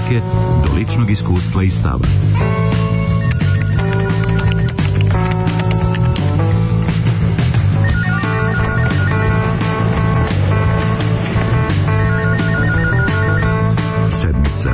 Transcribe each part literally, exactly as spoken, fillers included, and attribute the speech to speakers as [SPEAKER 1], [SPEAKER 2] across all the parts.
[SPEAKER 1] muzike do ličnog iskustva i stava. Sedmica.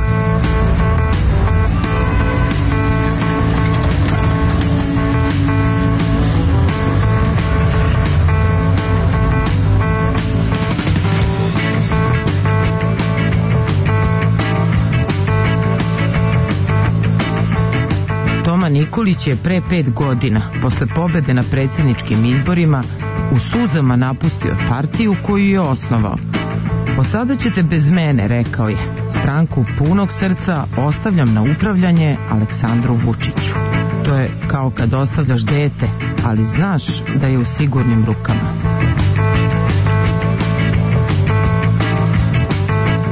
[SPEAKER 2] Nikolić je pre pet godina, posle pobede na predsjedničkim izborima, u suzama napustio partiju koju je osnovao. Od sada ćete bez mene, rekao je. Stranku punog srca ostavljam na upravljanje Aleksandru Vučiću. To je kao kad ostavljaš dete, ali znaš da je u sigurnim rukama.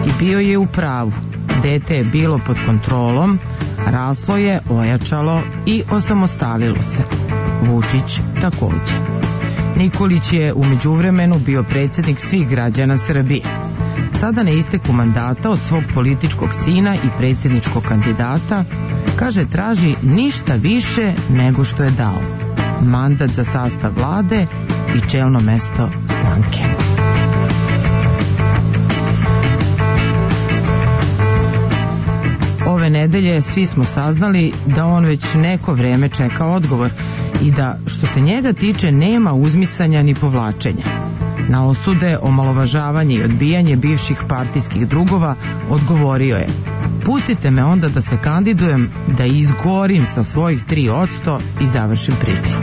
[SPEAKER 2] I bio je u pravu. Dete je bilo pod kontrolom, raslo je, ojačalo i osamostalilo se. Vučić takođe. Nikolić je u međuvremenu bio predsjednik svih građana Srbije. Sada na isteku mandata od svog političkog sina i predsjedničkog kandidata, kaže, traži ništa više nego što je dao. Mandat za sastav vlade i čelno mesto stranke. Ove nedelje svi smo saznali da on već neko vreme čeka odgovor i da, što se njega tiče, nema uzmicanja ni povlačenja. Na osude, omalovažavanje i odbijanje bivših partijskih drugova odgovorio je: pustite me onda da se kandidujem, da izgorim sa svojih tri odsto i završim priču.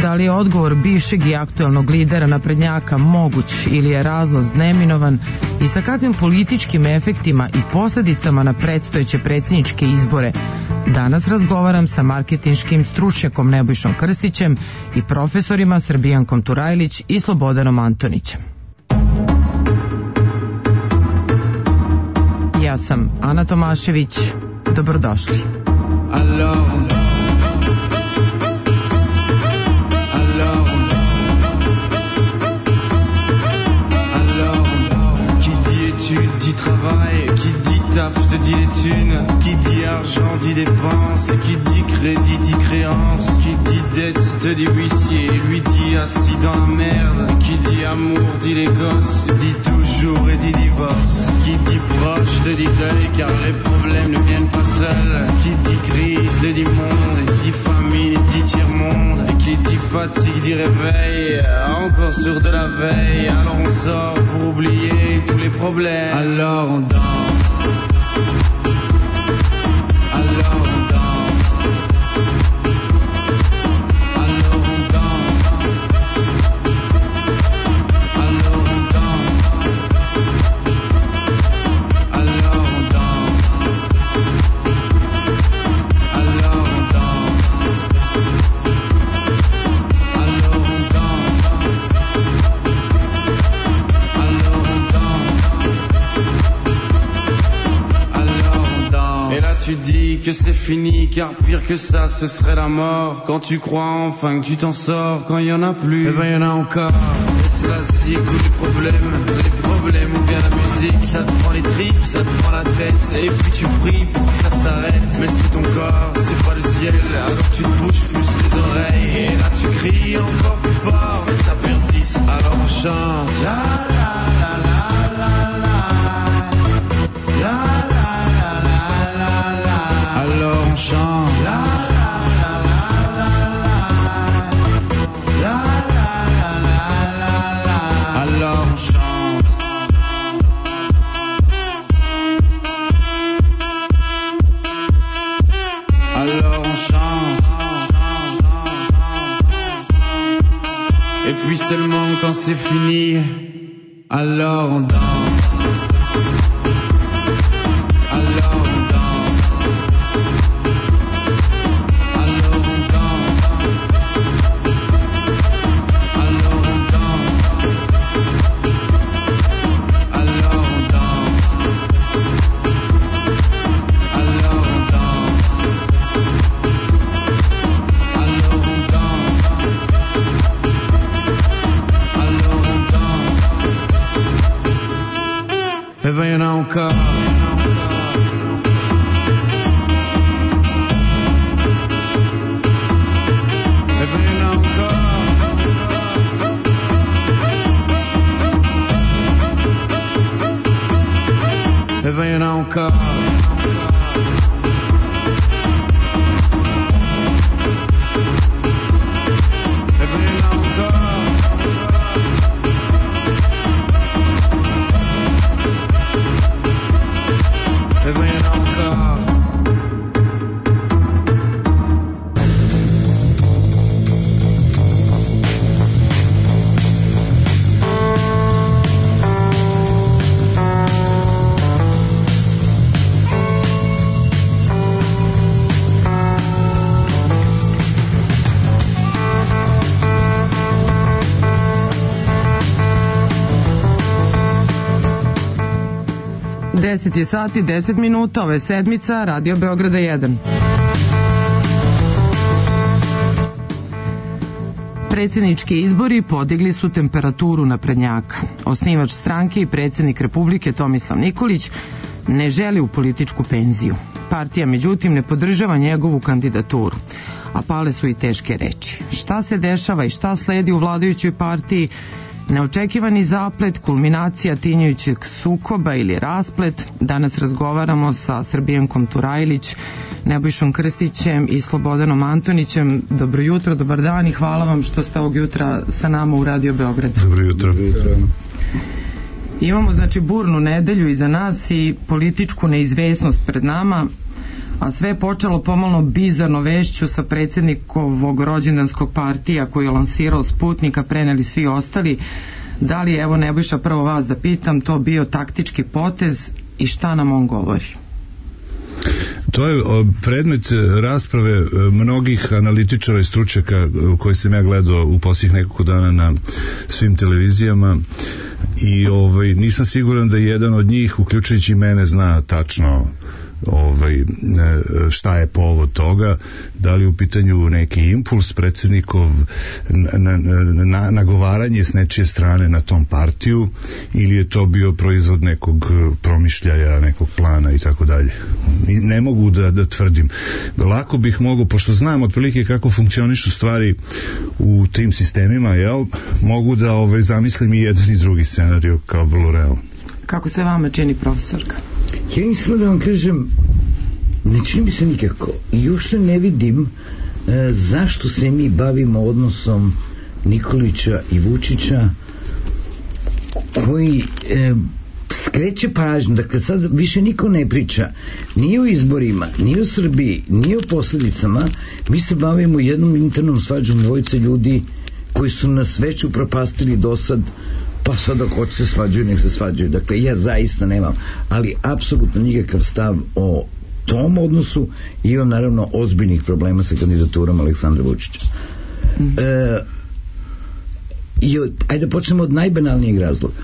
[SPEAKER 2] Da li je odgovor bivšeg i aktuelnog lidera naprednjaka moguć ili je razlaz neminovan i sa kakvim političkim efektima i posljedicama na predstojeće predsjedničke izbore, danas razgovaram sa marketinškim stručnjakom Nebojšom Krstićem i profesorima Srbijankom Turajlić i Slobodanom Antonićem. Ja sam Ana Tomašević, dobrodošli.
[SPEAKER 3] Alors, dit travail, qui dit taf te dit les thunes, qui dit argent dit dépense, qui dit crédit dit créance, qui dit dette te dit huissier, lui dit assis dans la merde, qui dit amour dit les gosses, dit toujours et dit divorce, qui dit proche te dit deuil car les problèmes ne viennent pas seuls, qui dit crise te dit monde, dit famine dit tiers-monde, qui dit fatigue dit réveil, encore sur de la veille, alors on sort pour oublier tous les problèmes. Alors on danse, alors on danse, alors on danse, alors on danse, alors on danse, alors on danse, alors on danse, alors on danse. Et là tu dis que c'est fini, car pire que ça ce serait la mort. Quand tu crois enfin que tu t'en sors, quand il y en a plus, eh ben il y en a encore. Et c'est la zik ou les problèmes, les problèmes ou bien la musique, ça te prend les tripes, ça te prend la tête, et puis tu pries pour que ça s'arrête. Mais si ton corps c'est pas le ciel, alors tu te bouges plus les oreilles, et là tu cries encore plus fort, mais ça persiste. Alors on chante la la la la la la la. Alors on chante la la la la la la la. Alors on chante. Alors on chante. Et puis seulement quand c'est fini, alors on danse. Alors on danse. Alors on danse. Alors on danse. Alors on danse. Alors on danse. Alors on danse. Alors on danse. encore.
[SPEAKER 2] deset je sati, deset minuta, ove sedmica, Radio Beograda jedan. Predsjednički izbori podigli su temperaturu naprednjaka. Osnivač stranke i predsjednik Republike Tomislav Nikolić ne želi u političku penziju. Partija, međutim, ne podržava njegovu kandidaturu, a pale su i teške reči. Šta se dešava i šta sledi u vladajućoj partiji? Neočekivani zaplet, kulminacija tinjajućeg sukoba ili rasplet. Danas razgovaramo sa Srbijankom Turajlić, Nebojšom Krstićem i Slobodanom Antonićem. Dobro jutro, dobar dan i hvala vam što ste ovog jutra sa nama u Radio Beograd.
[SPEAKER 4] Dobro jutro. Dobro jutro.
[SPEAKER 2] Imamo znači burnu nedelju iza nas i političku neizvesnost pred nama, a sve je počelo pomalo bizarno vešću sa predsjednikovog rođendanskog partija koji je lansirao Sputnika, preneli svi ostali. Da li je, evo Nebojša, prvo vas da pitam, to bio taktički potez i šta nam on govori?
[SPEAKER 4] To je predmet rasprave mnogih analitičara i stručnjaka koje sam ja gledao u posljednjih nekoliko dana na svim televizijama i ovaj, nisam siguran da jedan od njih, uključujući mene, zna tačno ovaj, šta je povod toga, da li u pitanju neki impuls predsjednikov na, na, na, nagovaranje s nečije strane na tom partiju ili je to bio proizvod nekog promišljaja, nekog plana i tako dalje. Ne mogu da, da tvrdim. Lako bih mogao, pošto znam otprilike kako funkcionišu stvari u tim sistemima, jel, mogu da ovaj, zamislim i jedan i drugi scenarij kao vrlo realno.
[SPEAKER 2] Kako se vama čini, profesorka?
[SPEAKER 5] Ja iskreno da vam kažem, ne čini mi se nikako. I još ne vidim e, zašto se mi bavimo odnosom Nikolića i Vučića, koji e, skreće pažnju. Dakle, sad više niko ne priča ni o izborima, ni o Srbiji, ni o posljedicama. Mi se bavimo jednom internom svađom dvojice ljudi koji su nas već upropastili do sad, pa sad ako hoće se svađaju, nek se svađaju. Dakle, ja zaista nemam, ali apsolutno nikakav stav o tom odnosu i imam naravno ozbiljnih problema sa kandidaturom Aleksandra Vučića. E, i od, ajde da počnemo od najbanalnijeg razloga.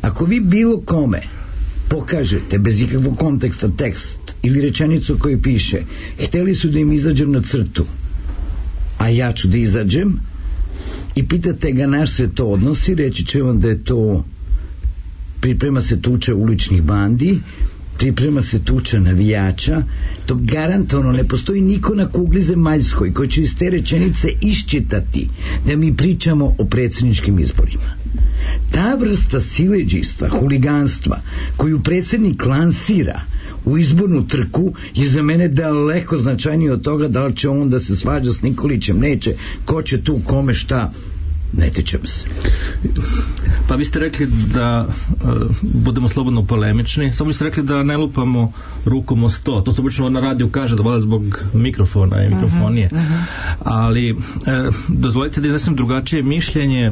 [SPEAKER 5] Ako vi bilo kome pokažete bez ikakvog konteksta tekst ili rečenicu koju piše hteli su da im izađem na crtu, a ja ću da izađem, i pitate ga na se to odnosi, reći će vam da je to priprema se tuča uličnih bandi, priprema se tuča navijača. To garantovano ne postoji niko na kugli zemaljskoj koji će iz te rečenice iščitati da mi pričamo o predsjedničkim izborima. Ta vrsta siledžijstva, huliganstva koju predsjednik lansira u izbornu trku je za mene daleko značajnije od toga da li će on da se svađa s Nikolićem, neće, ko će tu kome šta, ne tičemo se.
[SPEAKER 6] Pa vi ste rekli da uh, budemo slobodno polemični, samo ste rekli da ne lupamo rukom o sto, to se obično na radiju kaže da voda zbog mikrofona i mikrofonije, uh-huh, uh-huh. ali uh, dozvolite da iznesem drugačije mišljenje.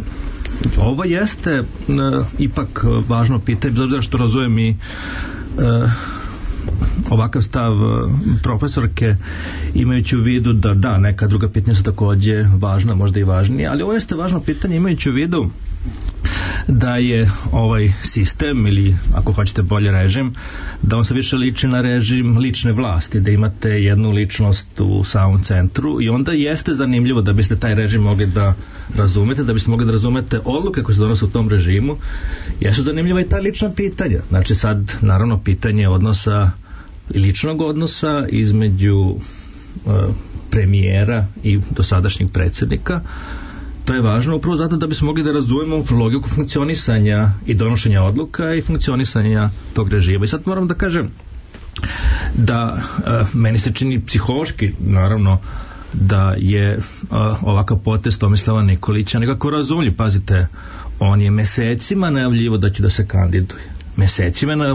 [SPEAKER 6] Ovo jeste uh, ipak uh, važno pitanje, bez obzira što razumem i uh, ovakav stav profesorke, imajući u vidu da da, neka druga pitanja su takođe važna, možda i važnije, ali ovo jeste važno pitanje imajući u vidu da je ovaj sistem, ili ako hoćete bolje režim, da on se više liči na režim lične vlasti, da imate jednu ličnost u samom centru i onda jeste zanimljivo da biste taj režim mogli da razumete, da biste mogli da razumete odluke koje se donose u tom režimu. Jesu zanimljiva i ta lična pitanja. Znači sad, naravno, pitanje odnosa, ličnog odnosa između uh, premijera i dosadašnjeg predsjednika. To je važno upravo zato da bismo mogli da razumemo logiku funkcionisanja i donošenja odluka i funkcionisanja tog režima. I sad moram da kažem, da uh, meni se čini psihološki, naravno, da je uh, ovakav potez Tomislava Nikolića nekako razumljiv. Pazite, on je mesecima najavljivo da će da se kandiduje. Mesecima je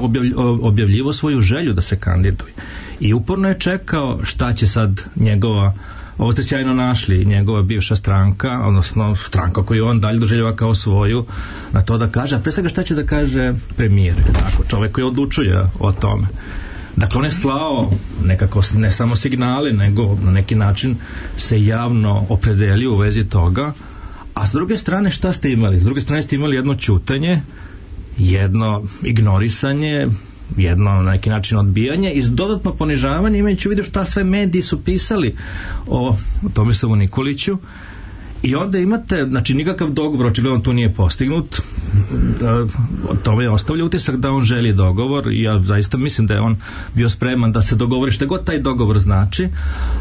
[SPEAKER 6] objavljivo svoju želju da se kandiduje. I uporno je čekao šta će sad njegova, ovo ste sjajno našli, njegova bivša stranka, odnosno stranka koju on dalje doželjava kao svoju, na to da kaže, a pre svega šta će da kaže premijer, tako, čovjek koji odlučuje o tome. Dakle, on je slao nekako ne samo signale, nego na neki način se javno opredelio u vezi toga. A s druge strane šta ste imali? S druge strane ste imali jedno ćutanje, jedno ignorisanje, jedno na neki način odbijanje i dodatno ponižavanje, imajući u vidu šta sve mediji su pisali o Tomislavu Nikoliću. I onda imate, znači nikakav dogovor očigledno tu nije postignut. O tome je ostavlja utisak da on želi dogovor i ja zaista mislim da je on bio spreman da se dogovori šta god taj dogovor znači.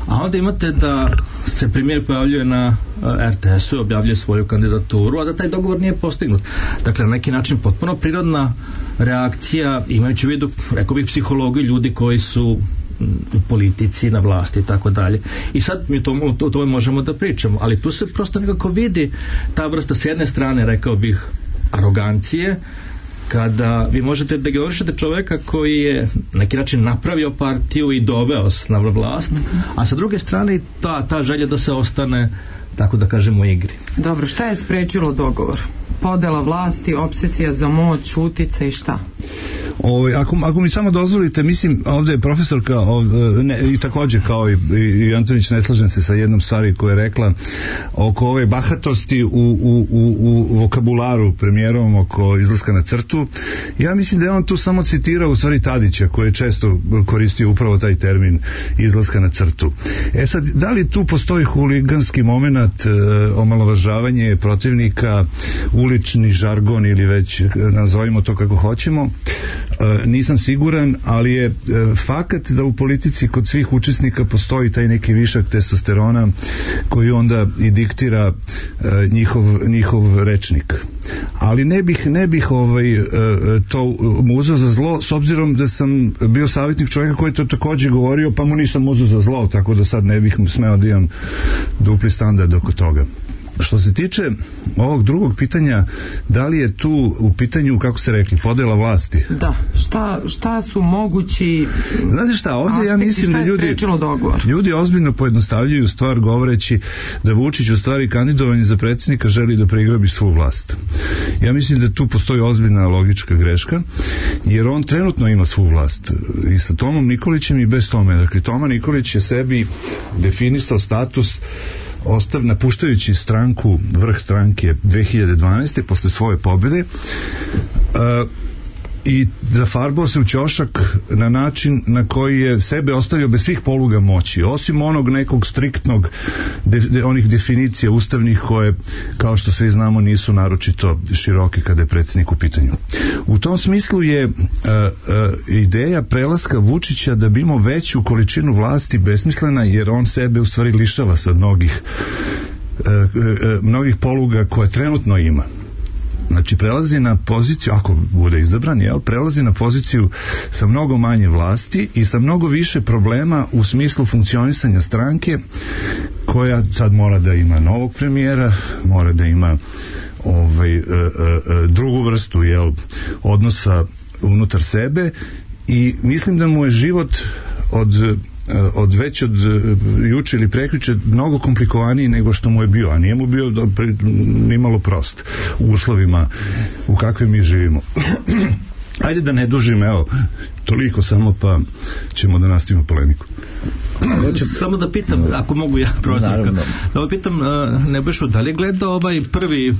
[SPEAKER 6] A onda imate da se premijer pojavljuje na er te esu i objavljuje svoju kandidaturu, a da taj dogovor nije postignut. Dakle, na neki način potpuno prirodna reakcija, imajući u vidu, rekao bih, psihologiju ljudi koji su u politici, na vlasti i tako dalje. I sad mi to, o tome možemo da pričamo, ali tu se prosto nekako vidi ta vrsta, s jedne strane, rekao bih, arogancije, kada vi možete da ignorišete čoveka koji je na neki način napravio partiju i doveo na vlast, a sa druge strane ta, ta želja da se ostane, tako da kažemo, u igri.
[SPEAKER 2] Dobro, šta je sprečilo dogovor? Podela vlasti, obsesija za moć, utica i šta?
[SPEAKER 4] O, ako, ako mi samo dozvolite, mislim, ovdje je profesorka ovdje, ne, i također kao i, i Antonić, ne slažem se sa jednom stvari koja je rekla oko ove bahatosti u, u, u, u vokabularu premijerom oko izlaska na crtu. Ja mislim da je on tu samo citirao u stvari Tadića, koji je često koristio upravo taj termin izlaska na crtu. E sad, da li tu postoji huliganski moment, e, omalovažavanje protivnika, ulični žargon ili već nazovimo to kako hoćemo, e, nisam siguran, ali je e, fakat da u politici kod svih učesnika postoji taj neki višak testosterona koji onda i diktira e, njihov, njihov rečnik. Ali ne bih, ne bih ovaj, e, to mu uzeo za zlo, s obzirom da sam bio savjetnik čovjeka koji je to također govorio, pa mu nisam uzeo za zlo, tako da sad ne bih mu smeo da imam dupli standard oko toga. Što se tiče ovog drugog pitanja, da li je tu u pitanju, kako ste rekli, podela vlasti?
[SPEAKER 2] Da, šta, šta su mogući...
[SPEAKER 4] Znate šta, ovdje ja mislim da ljudi, ljudi ozbiljno pojednostavljuju stvar govoreći da Vučić u stvari kandidovanje za predsjednika želi da preigrabi svu vlast. Ja mislim da tu postoji ozbiljna logička greška, jer on trenutno ima svu vlast i sa Tomom Nikolićem i bez tome. Dakle, Toma Nikolić je sebi definisao status ostav, napuštajući stranku, vrh stranke dve hiljade dvanaeste posle svoje pobjede, uh, i zafarbao se u ćošak na način na koji je sebe ostavio bez svih poluga moći, osim onog nekog striktnog de, de, onih definicija ustavnih koje, kao što svi znamo, nisu naročito široke kada je predsjednik u pitanju. U tom smislu je uh, uh, ideja prelaska Vučića da bi imao veću količinu vlasti besmislena, jer on sebe u stvari lišava sa mnogih uh, uh, mnogih poluga koje trenutno ima. Znači, prelazi na poziciju, ako bude izabran, jel, prelazi na poziciju sa mnogo manje vlasti i sa mnogo više problema u smislu funkcionisanja stranke, koja sad mora da ima novog premijera, mora da ima ovaj, e, e, drugu vrstu, jel, odnosa unutar sebe, i mislim da mu je život od od već od juče ili prekjuče mnogo komplikovaniji nego što mu je bio, a nije mu bio nimalo prost u uslovima u kakvim mi živimo. Ajde da ne dužim, evo, toliko samo, pa ćemo da nastavimo polemiku.
[SPEAKER 6] Samo da pitam, ako mogu ja prozivka, da pitam, Nebojšu, da li je gledao ovaj prvi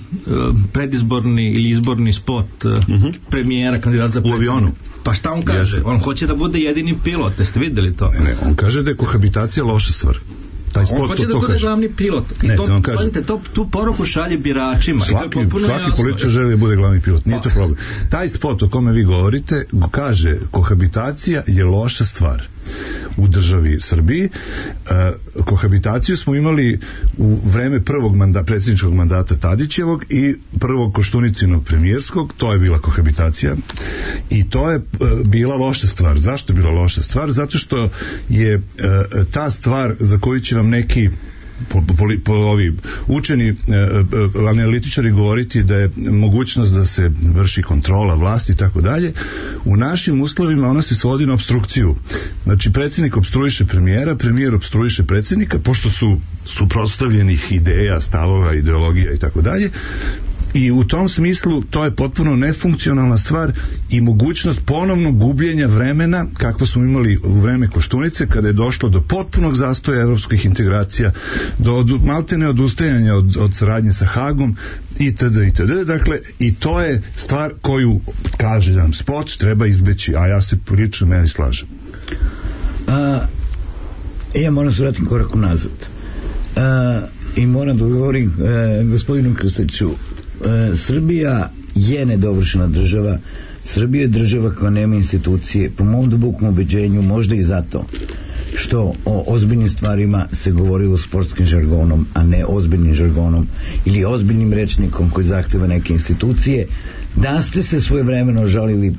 [SPEAKER 6] predizborni ili izborni spot uh-huh. premijera, kandidata za predsjednika? U avionu. Pa šta on kaže? Jeste. On hoće da bude jedini pilot, jeste vidjeli to?
[SPEAKER 4] Ne, ne, on kaže da je kohabitacija loša stvar. Taj spot,
[SPEAKER 6] on hoće
[SPEAKER 4] to,
[SPEAKER 6] da
[SPEAKER 4] to
[SPEAKER 6] bude
[SPEAKER 4] kaže.
[SPEAKER 6] Glavni pilot. I
[SPEAKER 4] ne,
[SPEAKER 6] to,
[SPEAKER 4] to kaže.
[SPEAKER 6] Pazite, to, tu poruku šalje biračima.
[SPEAKER 4] Svaki,
[SPEAKER 6] I to
[SPEAKER 4] svaki političar želi da bude glavni pilot. Nije to problem. Taj spot o kome vi govorite kaže, kohabitacija je loša stvar. u državi Srbiji. E, kohabitaciju smo imali u vreme prvog manda, predsjedničkog mandata Tadićevog i prvog Koštuničinog premijerskog, to je bila kohabitacija i to je e, bila loša stvar. Zašto je bila loša stvar? Zato što je e, ta stvar za koju će vam neki po, po, po ovi učeni e, e, analitičari govoriti da je mogućnost da se vrši kontrola vlasti i tako dalje, u našim uslovima ona se svodi na opstrukciju. Znači predsjednik opstruiše premijera, premijer opstruiše predsjednika, pošto su suprotstavljenih ideja, stavova, ideologija i tako dalje. I u tom smislu to je potpuno nefunkcionalna stvar i mogućnost ponovnog gubljenja vremena kakvo smo imali u vreme Koštunice, kada je došlo do potpunog zastoja evropskih integracija, do od, maltene odustajanja od, od saradnje sa Hagom itd. itd. Dakle, i to je stvar koju, kaže nam spot, treba izbeći, a ja se po ličnoj meri slažem.
[SPEAKER 5] A, ja moram se vratim korak unazad. A, i moram da govorim e, gospodinu Krstiću, e, Srbija je nedovršena država. Srbija je država koja nema institucije, po mom dubokom ubeđenju, možda i zato što o ozbiljnim stvarima se govorilo sportskim žargonom, a ne ozbiljnim žargonom ili ozbiljnim rečnikom koji zahteva neke institucije. Da ste se svojevremeno žalili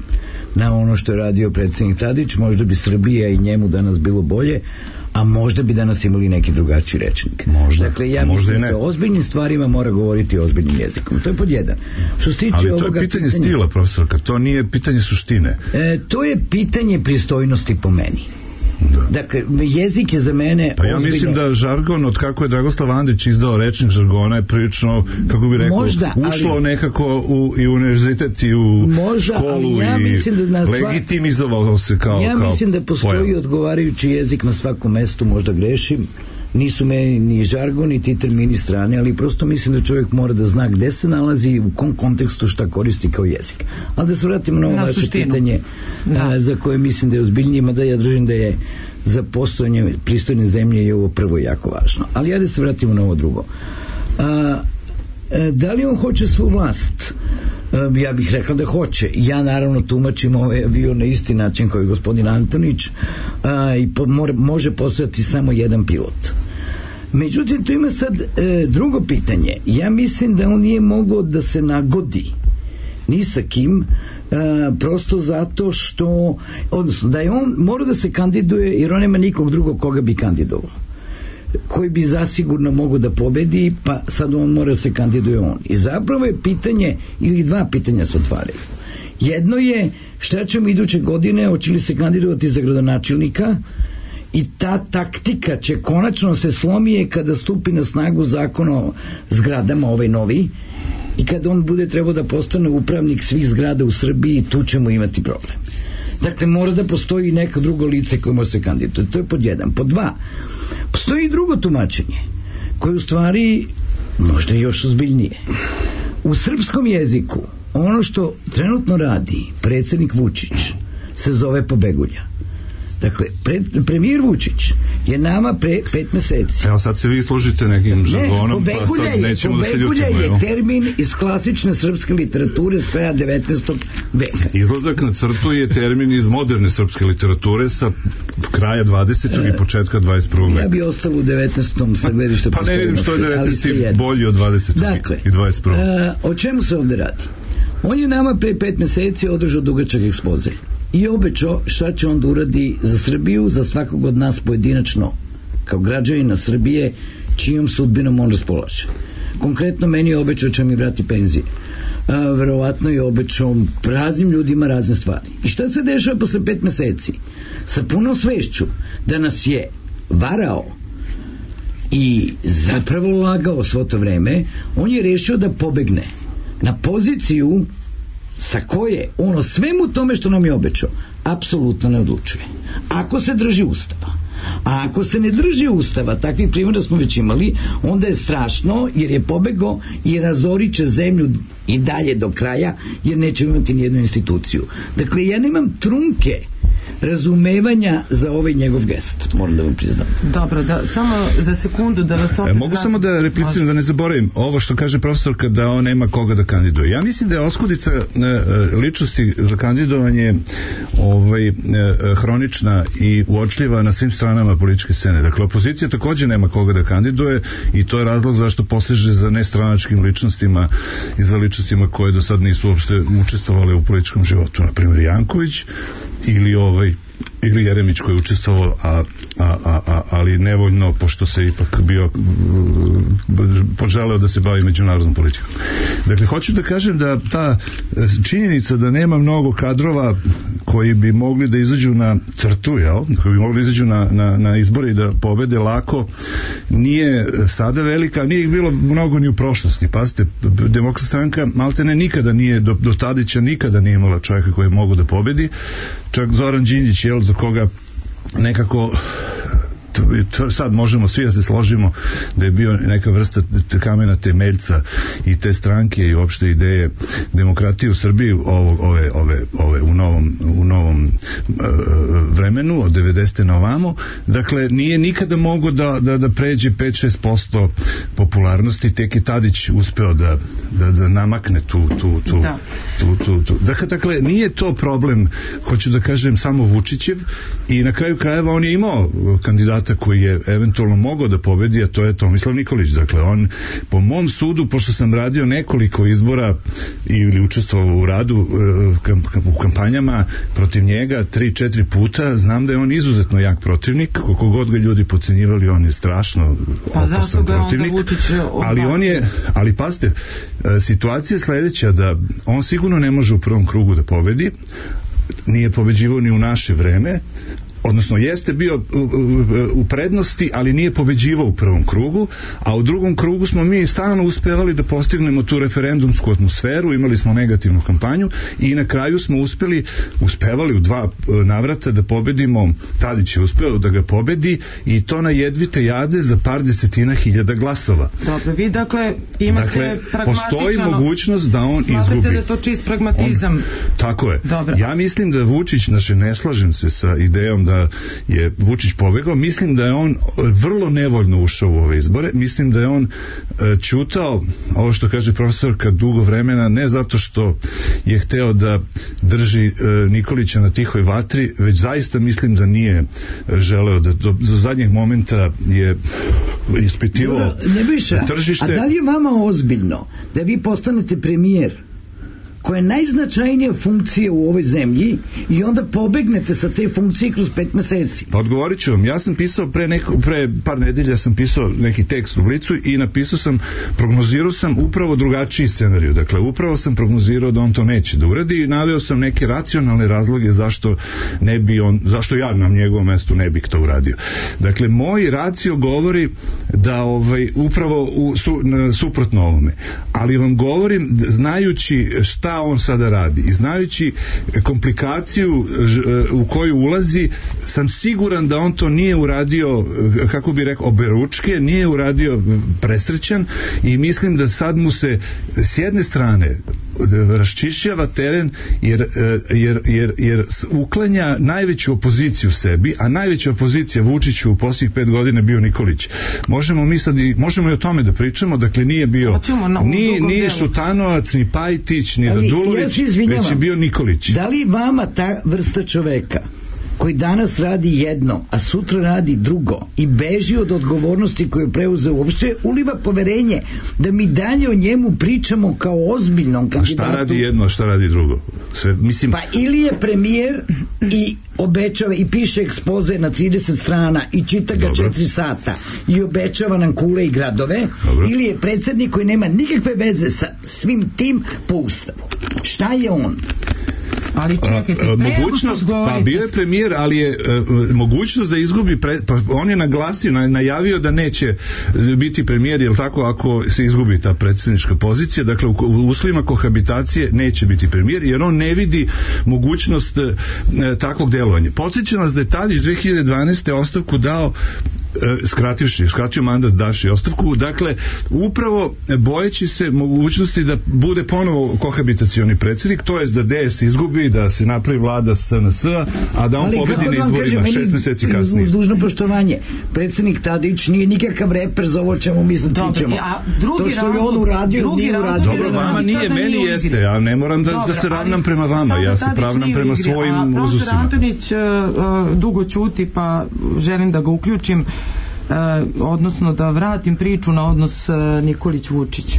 [SPEAKER 5] na ono što je radio predsjednik Tadić, možda bi Srbija i njemu danas bilo bolje, a možda bi danas imali neki drugačiji rečnik.
[SPEAKER 4] Možda,
[SPEAKER 5] dakle, ja
[SPEAKER 4] možda
[SPEAKER 5] mislim da se o ozbiljnim stvarima mora govoriti ozbiljnim jezikom. To je pod jedan. Što se tiče
[SPEAKER 4] ali to je
[SPEAKER 5] ovoga
[SPEAKER 4] pitanje,
[SPEAKER 5] pitanja,
[SPEAKER 4] stila, profesorka, to nije pitanje suštine.
[SPEAKER 5] E, to je pitanje pristojnosti po meni. Da. Dakle, jezik je za mene
[SPEAKER 4] pa ja
[SPEAKER 5] ozbiljno...
[SPEAKER 4] mislim da žargon, od kako je Dragoslav Andić izdao rečnik žargona, je prilično, kako bi rekao,
[SPEAKER 5] možda,
[SPEAKER 4] ušlo
[SPEAKER 5] ali,
[SPEAKER 4] nekako u, i u univerzitet i u
[SPEAKER 5] možda,
[SPEAKER 4] školu
[SPEAKER 5] ja
[SPEAKER 4] i
[SPEAKER 5] da sva...
[SPEAKER 4] legitimizovalo se kao
[SPEAKER 5] ja
[SPEAKER 4] kao
[SPEAKER 5] mislim da postoji pojam. Odgovarajući jezik na svakom mestu, možda grešim, nisu meni ni žargon ni ti termini strane, ali prosto mislim da čovjek mora da zna gde se nalazi, u kom kontekstu šta koristi kao jezik. Ali da se vratimo na ovo vaše pitanje a, za koje mislim da je ozbiljnije, mada ja držim da je za postojanje pristojne zemlje je ovo prvo jako važno. Ali ja da se vratimo na ovo drugo. A, da li on hoće svu vlast? A, ja bih rekla da hoće. Ja naravno tumačim ovaj avion na isti način kao i gospodin Antonić, a, i po, more, može postojati samo jedan pilot. Međutim, tu ima sad e, drugo pitanje. Ja mislim da on nije mogao da se nagodi ni sa kim, e, prosto zato što, odnosno da je on mora da se kandiduje jer on nema nikog drugog koga bi kandidovao, koji bi zasigurno mogu da pobedi, pa sad on mora da se kandiduje on. I zapravo je pitanje, ili dva pitanja se otvaraju. Jedno je šta ćemo iduće godine, hoće li se kandidovati za gradonačelnika, i ta taktika će konačno se slomije kada stupi na snagu zakon o zgradama, ovaj novi, i kada on bude trebao da postane upravnik svih zgrada u Srbiji, tu ćemo imati problem. Dakle, mora da postoji neka drugo lice koje može se kandidovati. To je pod jedan. Pod dva, postoji i drugo tumačenje koje u stvari možda još ozbiljnije. U srpskom jeziku ono što trenutno radi predsjednik Vučić se zove pobegulja. Dakle, pre, premijer Vučić je nama pre pet meseci.
[SPEAKER 4] Evo sad se vi služite nekim žargonom, ne, pa sad nećemo da se ljutimo.
[SPEAKER 5] Pobegulja je termin iz klasične srpske literature s kraja devetnaestog veka.
[SPEAKER 4] Izlazak na crtu je termin iz moderne srpske literature sa kraja dvadesetog i početka dvadeset prvog veka.
[SPEAKER 5] Ja bi ostalo u devetnaestom sa gledišta
[SPEAKER 4] pa ne vidim što je devetnaesti bolji od dvadesetog
[SPEAKER 5] dakle,
[SPEAKER 4] i dvadeset prvog.
[SPEAKER 5] A, o čemu se ovde radi? On je nama pre pet meseci održao dugačak ekspoze i obećao šta će on da uradi za Srbiju, za svakog od nas pojedinačno kao građanina Srbije čijom sudbinom on raspolaže. Konkretno meni je obećao će mi vrati penzije. A, verovatno je obećao raznim ljudima razne stvari. I šta se dešava posle pet meseci? Sa punom svešću da nas je varao i zapravo lagao svo to vreme, on je rešio da pobegne na poziciju sa koje ono svemu tome što nam je obećao apsolutno ne odlučuje. Ako se drži Ustava, a ako se ne drži Ustava, takvih primjera smo već imali, onda je strašno jer je pobegao i razorit će zemlju i dalje do kraja jer neće imati nijednu instituciju. Dakle, ja nemam trunke razumevanja za ovaj njegov gest, moram da vam priznam.
[SPEAKER 2] Dobro, da, samo za sekundu da vas opet...
[SPEAKER 4] E, mogu samo da repliciram, da ne zaboravim ovo što kaže profesorka da on nema koga da kandiduje. Ja mislim da je oskudica e, ličnosti za kandidovanje ovaj, e, hronična i uočljiva na svim stranama političke scene. Dakle, opozicija takođe nema koga da kandiduje i to je razlog zašto poseže za nestranačkim ličnostima i za ličnostima koje do sad nisu uopšte učestvovale u političkom životu. Na primjer Janković ili ovaj ili Jeremić koji je učestvovao, a, a, a, a, ali nevoljno, pošto se ipak bio poželeo da se bavi međunarodnom politikom. Dakle, hoću da kažem da ta činjenica da nema mnogo kadrova koji bi mogli da izađu na crtu, jel? Koji bi mogli da izađu na, na, na izbore i da pobede lako, nije sada velika, nije ih bilo mnogo ni u prošlosti. Pazite, Demokratska stranka maltene nikada nije, do, do Tadića nikada nije imala čovjeka koji je mogu da pobedi. Čak Zoran Đinđić, jel, za koga nekako sad možemo svi da se složimo da je bio neka vrsta kamena temeljca i te stranke i uopšte ideje demokratije u Srbiji ovo, ove, ove, ove u novom, u novom uh, vremenu od devedesete na ovamo. Dakle, nije nikada mogo da, da, da pređe pet do šest posto popularnosti, tek je Tadić uspeo da, da, da namakne tu tu, tu,
[SPEAKER 2] da.
[SPEAKER 4] tu, tu, tu. Dakle, dakle, nije to problem, hoću da kažem, samo Vučićev i na kraju krajeva on je imao kandidata koji je eventualno mogao da pobedi, a to je Tomislav Nikolić. Dakle, on, po mom sudu, pošto sam radio nekoliko izbora ili učestvovao u radu u kampanjama protiv njega tri, četiri puta, znam da je on izuzetno jak protivnik, koliko god ga ljudi podcenjivali, on je strašno
[SPEAKER 2] pa
[SPEAKER 4] opasan protivnik, ali on je, ali pazite, situacija je sledeća, da on sigurno ne može u prvom krugu da pobedi, nije pobeđivao ni u naše vreme, odnosno jeste bio u prednosti, ali nije pobeđivao u prvom krugu, a u drugom krugu smo mi stalno uspevali da postignemo tu referendumsku atmosferu, imali smo negativnu kampanju i na kraju smo uspeli, uspevali u dva navrata da pobedimo, Tadić je uspeo da ga pobedi i to na jedvite jade za par desetina hiljada glasova.
[SPEAKER 2] Dobro, vi dakle imate
[SPEAKER 4] dakle,
[SPEAKER 2] pragmatičano...
[SPEAKER 4] postoji mogućnost da on
[SPEAKER 2] smatrate
[SPEAKER 4] izgubi.
[SPEAKER 2] Da je to čist pragmatizam.
[SPEAKER 4] On, tako je.
[SPEAKER 2] Dobro.
[SPEAKER 4] Ja mislim da Vučić, znači ne slažem se sa idejom da je Vučić pobegao, mislim da je on vrlo nevoljno ušao u ove izbore, mislim da je on e, ćutao, ovo što kaže profesorka, dugo vremena, ne zato što je hteo da drži e, Nikolića na tihoj vatri, već zaista mislim da nije želeo da do, do zadnjeg momenta je ispitivao tržište.
[SPEAKER 5] A da li je vama ozbiljno da vi postanete premijer koja je najznačajnija funkcija u ovoj zemlji i onda pobegnete sa te funkcije kroz pet meseci?
[SPEAKER 4] Pa odgovorit ću vam. Ja sam pisao pre, neko, pre par nedelja sam pisao neki tekst u Blicu i napisao sam, prognozirao sam upravo drugačiji scenariju. Dakle, upravo sam prognozirao da on to neće da uradi i naveo sam neke racionalne razloge zašto ne bi on, zašto ja na njegovom mestu ne bih to uradio. Dakle, moj racio govori da ovaj, upravo u, su, na, suprotno ovome. Ali vam govorim, znajući šta on sada radi i znajući komplikaciju u koju ulazi, sam siguran da on to nije uradio, kako bi rekao, oberučke, nije uradio presrećan i mislim da sad mu se s jedne strane raščišćava teren jer, jer, jer, jer uklanja najveću opoziciju sebi, a najveća opozicija Vučiću u posljednjih pet godina bio Nikolić. Možemo mi sad i, možemo i o tome da pričamo, dakle nije bio ni, ni Šutanovac, ni Pajtić, ni Radulović, ja već je bio Nikolić.
[SPEAKER 5] Da li vama ta vrsta čoveka koji danas radi jedno, a sutra radi drugo i beži od odgovornosti koju je preuzeo, uopšte uliva poverenje da mi dalje o njemu pričamo kao ozbiljnom kandidatu?
[SPEAKER 4] A šta radi jedno, a šta radi drugo? Sve, mislim...
[SPEAKER 5] Pa ili je premijer i obećava i piše ekspoze na trideset strana i čita ga četiri sata i obećava nam kule i gradove. Dobro. Ili je predsjednik koji nema nikakve veze sa svim tim po ustavu. Šta je on?
[SPEAKER 2] Ali čekajte,
[SPEAKER 4] a, a, mogućnost, pa bio je premijer, ali je a, mogućnost da izgubi pre, pa on je naglasio, na, najavio da neće biti premijer, jel tako, ako se izgubi ta predsjednička pozicija, dakle u, u uslovima kohabitacije neće biti premijer, jer on ne vidi mogućnost a, takvog delovanja. Podsjećam nas da je Tadić dve hiljade dvanaeste ostavku dao skrativši, skratio mandat, daš i ostavku, dakle, upravo bojeći se mogućnosti da bude ponovo kohabitacioni predsjednik, to je da D S izgubi, da se napravi vlada S N S-a, a da on ali pobedi na izborima kažem, šest meseci kasnije. Uz
[SPEAKER 5] dužno poštovanje, predsjednik Tadić nije nikakav reper za ovo čemu mi sam pričamo. To što je on uradio, nije uradio.
[SPEAKER 4] Dobro, vama nije, meni jeste, ja ne moram da, da se ravnam prema vama, ja se pravnam prema svojim uzusima. A profesor
[SPEAKER 2] Antonić uh, dugo ćuti, pa želim da ga uključim, uh, odnosno da vratim priču na odnos uh, Nikolić-Vučić.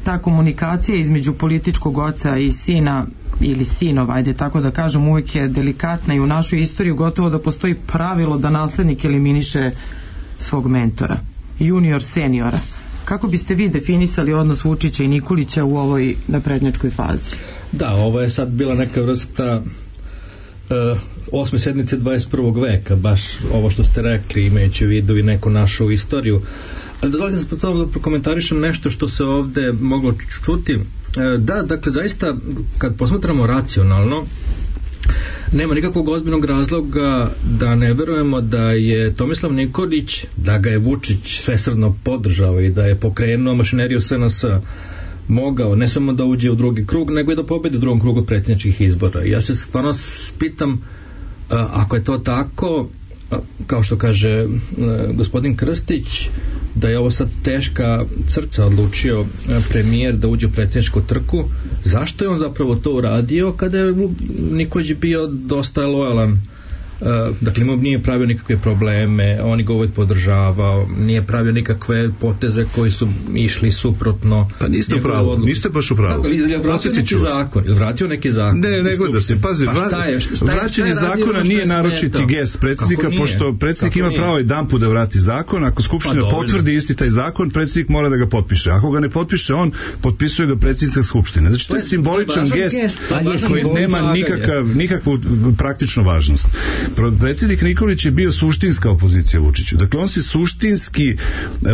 [SPEAKER 2] Ta komunikacija između političkog oca i sina ili sinova, ajde tako da kažem, uvijek je delikatna i u našoj istoriji gotovo da postoji pravilo da naslednik eliminiše svog mentora, junior seniora. Kako biste vi definisali odnos Vučića i Nikolića u ovoj naprednjačkoj fazi?
[SPEAKER 6] Da, ovo je sad bila neka vrsta uh, osme sednice dvadeset prvog veka, baš ovo što ste rekli, imajući u vidu i neku našu istoriju. Ali dozvolite se pod da prokomentarišem nešto što se ovde moglo čuti. Da, dakle, zaista, kad posmatramo racionalno, nema nikakvog ozbiljnog razloga da ne verujemo da je Tomislav Nikolić, da ga je Vučić svesrdno podržao i da je pokrenuo mašineriju S N S mogao ne samo da uđe u drugi krug, nego i da pobedi u drugom krugu predsjedničkih izbora. Ja se stvarno pitam, ako je to tako, kao što kaže gospodin Krstić, da je ovo sad teška crca odlučio premijer da uđe u predsjedničku trku, zašto je on zapravo to uradio kada je Nikolić bio dosta lojalan? Uh, dakle, imao nije pravio nikakve probleme, on ga uvijek podržavao, nije pravio nikakve poteze koji su išli suprotno.
[SPEAKER 4] Pa niste u pravu, niste baš u pravu.
[SPEAKER 6] Je vratio neki zakon, je vratio neki zakon.
[SPEAKER 4] Ne, ne gleda se, pazi, pa šta je, šta je, vraćanje šta je zakona nije naročiti gest predsjednika, pošto predsjednik ima pravo jedan put da vrati zakon, ako skupština pa, potvrdi isti taj zakon, predsjednik mora da ga potpiše. Ako ga ne potpiše on, potpisuje ga predsjednica skupštine. Znači, to je simboličan gest koji nema nikakav, nikakvu praktičnu važnost. Predsjednik Nikolić je bio suštinska opozicija Vučiću. Dakle, on se suštinski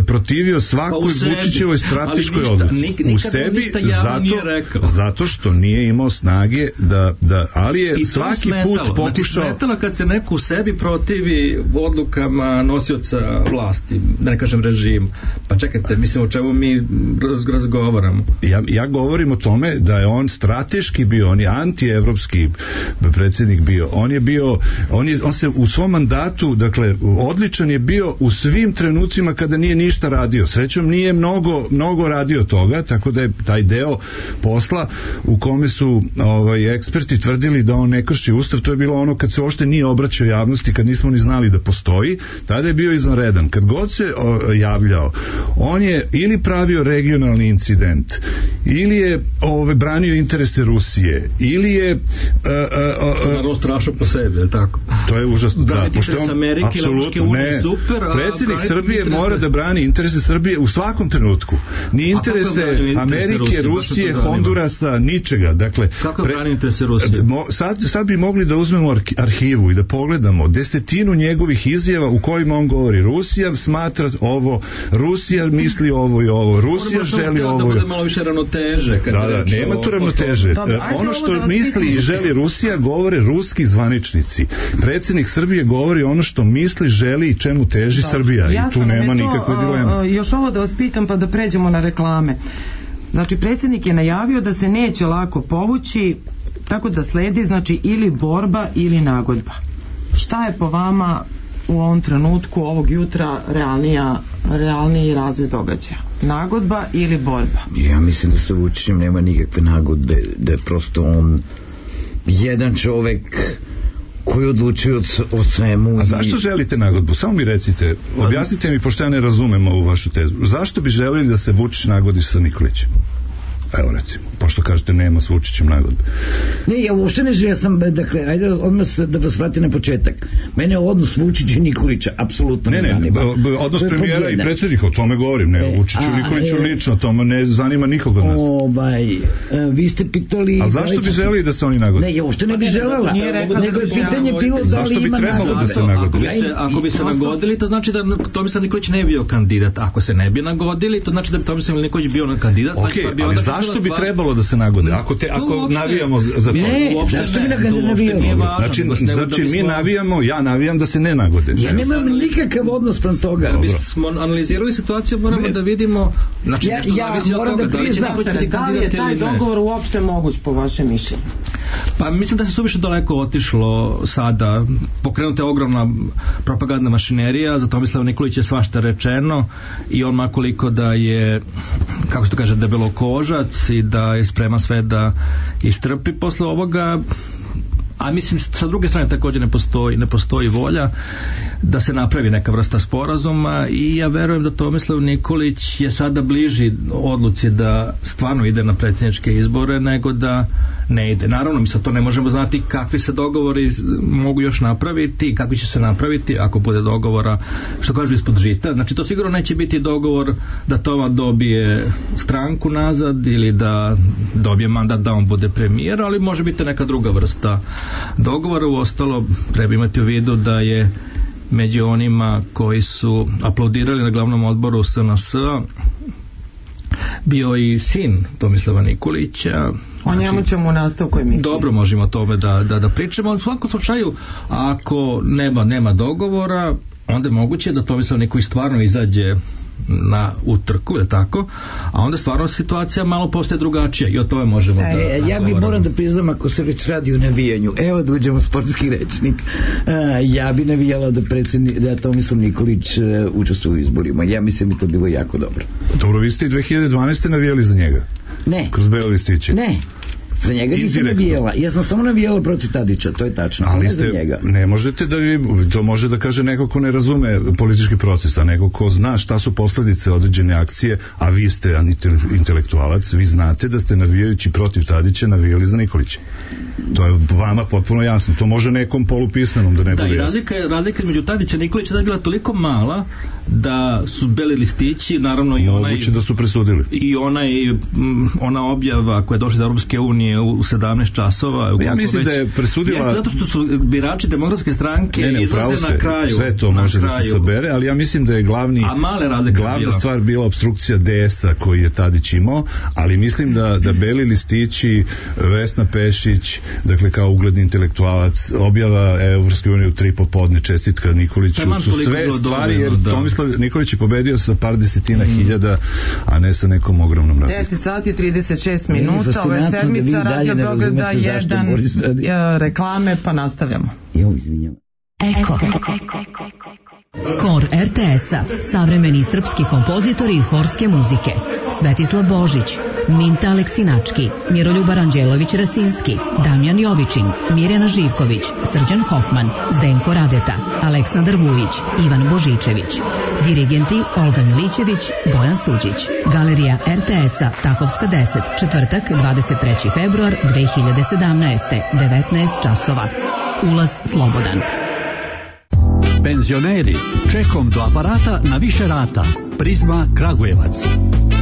[SPEAKER 4] protivio svakoj pa Vučićevoj strateškoj odluci. U sebi, zato, zato što nije imao snage da, da ali je I svaki smetalo. put pokušao...
[SPEAKER 6] Znači, smetalo kad se neko u sebi protivi odlukama nosioca vlasti, da ne kažem režim. Pa čekajte, mislim o čemu mi razgovaramo.
[SPEAKER 4] Ja, ja govorim o tome da je on strateški bio, on je antievropski predsjednik bio. On je bio on, je, on se u svom mandatu, dakle, odličan je bio u svim trenucima kada nije ništa radio. Srećom nije mnogo, mnogo radio toga, tako da je taj deo posla u kome su ovaj, eksperti tvrdili da on ne krši ustav, to je bilo ono kad se uopšte nije obraćao javnosti, kad nismo ni znali da postoji, tada je bio izvanredan. Kad god se o, javljao, on je ili pravio regionalni incident, ili je ovaj, branio interese Rusije, ili je uh, uh, uh,
[SPEAKER 6] naravno strašno po sebi, je tako?
[SPEAKER 4] To je užasno, da, pošto on Amerike, apsolutno ne, super, predsjednik Srbije interese... mora da brani interese Srbije u svakom trenutku, ni interese Amerike, Rusije, Rusije Hondurasa, ničega, dakle
[SPEAKER 6] kako pre... brani interese Rusije?
[SPEAKER 4] Mo, sad, sad bi mogli da uzmemo arhivu i da pogledamo desetinu njegovih izjava u kojima on govori Rusija smatra ovo, Rusija misli ovo i ovo, Rusija želi ovo,
[SPEAKER 6] da bude malo više ravnoteže,
[SPEAKER 4] da, da, nema tu ravnoteže. Ono što misli i želi Rusija govore ruski zvaničnici. Predsjednik Srbije govori ono što misli, želi i čemu teži da, Srbija i tu nema nikakve dileme.
[SPEAKER 2] Još ovo da vas pitam pa da pređemo na reklame. Znači, predsjednik je najavio da se neće lako povući, tako da sledi, znači, ili borba ili nagodba. Šta je po vama u ovom trenutku, ovog jutra, realnija, realniji razvoj događaja? Nagodba ili borba?
[SPEAKER 5] Ja mislim da sa Vučićem nema nikakve nagodbe, da je prosto on jedan čovek koji odlučuju o svemu.
[SPEAKER 4] A zašto želite nagodbu? Samo mi recite, objasnite mi, pošto ja ne razumem ovu vašu tezu. Zašto bi želeli da se Vučić nagodi sa Nikolićem? Evo recimo, pošto kažete nema s Vučićem nagodbe.
[SPEAKER 5] Ne, ja uopšte ne želim, ja sam, dakle, ajde odmah da vas vrati na početak. Mene je odnos Vučića i Nikolića apsolutno ne, ne zanima.
[SPEAKER 4] Ne, odnos premijera i predsjednika, o tome govorim, ne, o Vučiću i Nikoliću lično, to me ne zanima nikoga od nas.
[SPEAKER 5] Ovaj, vi ste pitali...
[SPEAKER 4] A zašto bi želeli da se oni nagode?
[SPEAKER 5] Ne, ja uopšte ne bi želela. Nego je pitanje bilo da li ima
[SPEAKER 6] nagodbe. Ako bi se nagodili, to znači da Tomislav Nikolić ne bi bio kandidat. Ako se ne bi nagodili, to znači da bi Tomislav Nikolić bio kandidat.
[SPEAKER 4] Ok, ali zašto zašto bi trebalo da se nagode? Ako, te, ako navijamo za to.
[SPEAKER 5] Ne, zašto bi ne navijamo?
[SPEAKER 4] Znači, znači mi navijamo, ja navijam da se ne nagode.
[SPEAKER 5] Ja nemam nikakav odnos prema toga.
[SPEAKER 6] Da bismo analizirali situaciju, moramo da vidimo, znači
[SPEAKER 5] ja,
[SPEAKER 6] nešto
[SPEAKER 5] ja
[SPEAKER 6] zavisi od toga, da li će neko biti
[SPEAKER 2] da li je taj dogovor uopšte moguć po vašem mišljenju?
[SPEAKER 6] Pa mislim da se suviše daleko otišlo sada. Pokrenuta je ogromna propagandna mašinerija, za Tomislava Nikolića je svašta rečeno i on makoliko da je, kako se to kaže, debelokožac i da je spreman sve da istrpi posle ovoga, a mislim sa druge strane također ne postoji, ne postoji volja da se napravi neka vrsta sporazuma i ja verujem da Tomislav Nikolić je sada bliži odluci da stvarno ide na predsjedničke izbore nego da ne ide. Naravno, mi sad to ne možemo znati kakvi se dogovori mogu još napraviti, kakvi će se napraviti ako bude dogovora, što kažu, ispod žita. Znači to sigurno neće biti dogovor da Toma dobije stranku nazad ili da dobije mandat da on bude premijer, ali može biti neka druga vrsta dogovora. Uostalo treba imati u vidu da je među onima koji su aplaudirali na glavnom odboru S N S-a bio i sin Tomislava Nikolića.
[SPEAKER 2] O njemu znači, ćemo u nastavku emisije.
[SPEAKER 6] Dobro, možemo o tome da, da, da pričamo. U svakom slučaju, ako nema, nema dogovora, onda je moguće da Tomislav Nikolić stvarno izađe na utrku, je tako? A onda stvarno situacija malo postaje drugačija i o tome možemo da...
[SPEAKER 5] E, ja bi moram da priznam, ako se već radi o navijanju, evo da uđemo u sportski rečnik, a, ja bi navijala da, predsjedni, da Tomislav Nikolić uh, učestvuje u izborima. Ja mislim da to bilo jako dobro.
[SPEAKER 4] Dobro, vi ste i dve hiljade dvanaeste navijali za njega?
[SPEAKER 5] Ne.
[SPEAKER 4] Kroz bele listiće?
[SPEAKER 5] Ne. Za njega nisam navijala. Ja sam samo navijala protiv Tadića, to je tačno.
[SPEAKER 4] Ali
[SPEAKER 5] ne
[SPEAKER 4] ste,
[SPEAKER 5] za njega.
[SPEAKER 4] ne možete da vi, to može da kaže neko ko ne razume politički proces, a neko ko zna šta su posledice određene akcije, a vi ste intelektualac, vi znate da ste navijajući protiv Tadića navijali za Nikolića. To je vama potpuno jasno. To može nekom polupismenom da ne
[SPEAKER 6] da,
[SPEAKER 4] bude
[SPEAKER 6] i razlika, razlika među Tadića i Nikolića da je bila toliko mala da su beli listići, naravno i onaj...
[SPEAKER 4] Moguće da su presudili.
[SPEAKER 6] I onaj, ona objava koja je došla iz Europske unije u sedamnaest časova.
[SPEAKER 4] Ja mislim
[SPEAKER 6] već,
[SPEAKER 4] da je presudila...
[SPEAKER 6] Jeste zato što su birači Demokratske stranke
[SPEAKER 4] ne, ne,
[SPEAKER 6] izlaze na kraju.
[SPEAKER 4] Sve to može kraju. Da se sabere, ali ja mislim da je glavni...
[SPEAKER 6] A male razlike
[SPEAKER 4] glavna
[SPEAKER 6] bila.
[SPEAKER 4] stvar bila obstrukcija D S-a koji je Tadić imao, ali mislim da, da beli listići, Vesna Pešić, dakle kao ugledni intelektualac, objava Evropske unije u tri popodne, čestitka Nikoliću, su sve stvari, jer da. Tomislav Nikolić je pobedio sa par desetina mm. hiljada, a ne sa nekom ogromnom razlikom.
[SPEAKER 2] deset sati trideset šest minuta, ovo je sedmica Radio Beograda jedan, reklame, pa nastavljamo.
[SPEAKER 5] Jo, izvinjam.
[SPEAKER 7] Eko. Kor R T S-a, savremeni srpski kompozitori horske muzike. Svetislav Božić, Minta Aleksinački, Miroljub Aranđelović-Rasinski, Damjan Jovičin, Mirjana Živković, Srđan Hofman, Zdenko Radeta, Aleksandar Vujić, Ivan Božičević. Dirigenti Olga Milićević, Bojan Suđić. Galerija R T S-a, Takovska deset, četvrtak, dvadeset treći februar dve hiljade sedamnaeste, devetnaest časova. Ulaz slobodan.
[SPEAKER 8] Penzioneri, čekom do aparata na više rata. Prizma Kragujevac.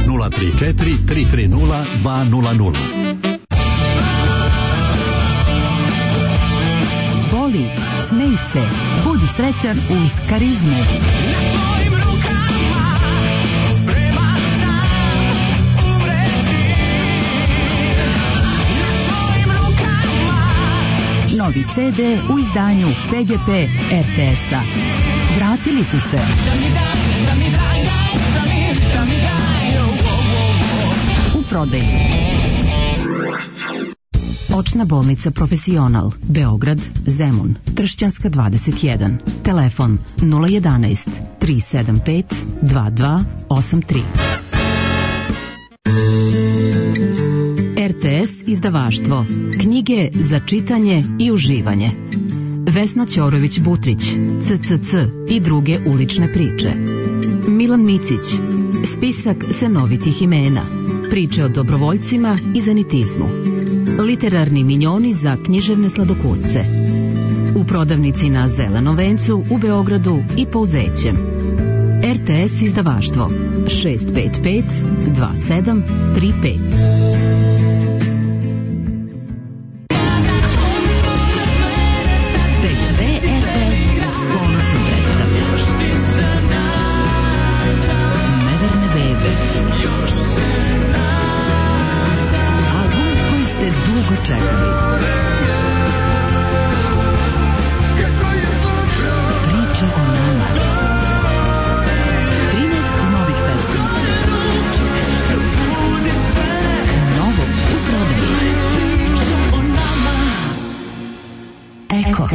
[SPEAKER 8] nula tri četiri tri tri nula dva nula nula.
[SPEAKER 9] Voli, smej se, budi srećan uz Karizmu. Novi C D u izdanju P G P R T S-a. Vratili su se. U prodaju. Očna bolnica Profesional, Beograd, Zemun, Tršćanska dvadeset jedan. Telefon nula jedanaest tri sedam pet dva dva osam tri. R T S izdavaštvo. Knjige za čitanje i uživanje. Vesna Ćorović-Butrić, C C C i druge ulične priče. Milan Micić, spisak senovitih imena. Priče o dobrovoljcima i zanitizmu. Literarni minjoni za književne sladokusce. U prodavnici na Zelenom vencu u Beogradu i Pouzećem. R T S izdavaštvo šest pet pet dva sedam tri pet. čekali. Priče o nama. trinaest novih pesama. Novo u prodaju. Eko.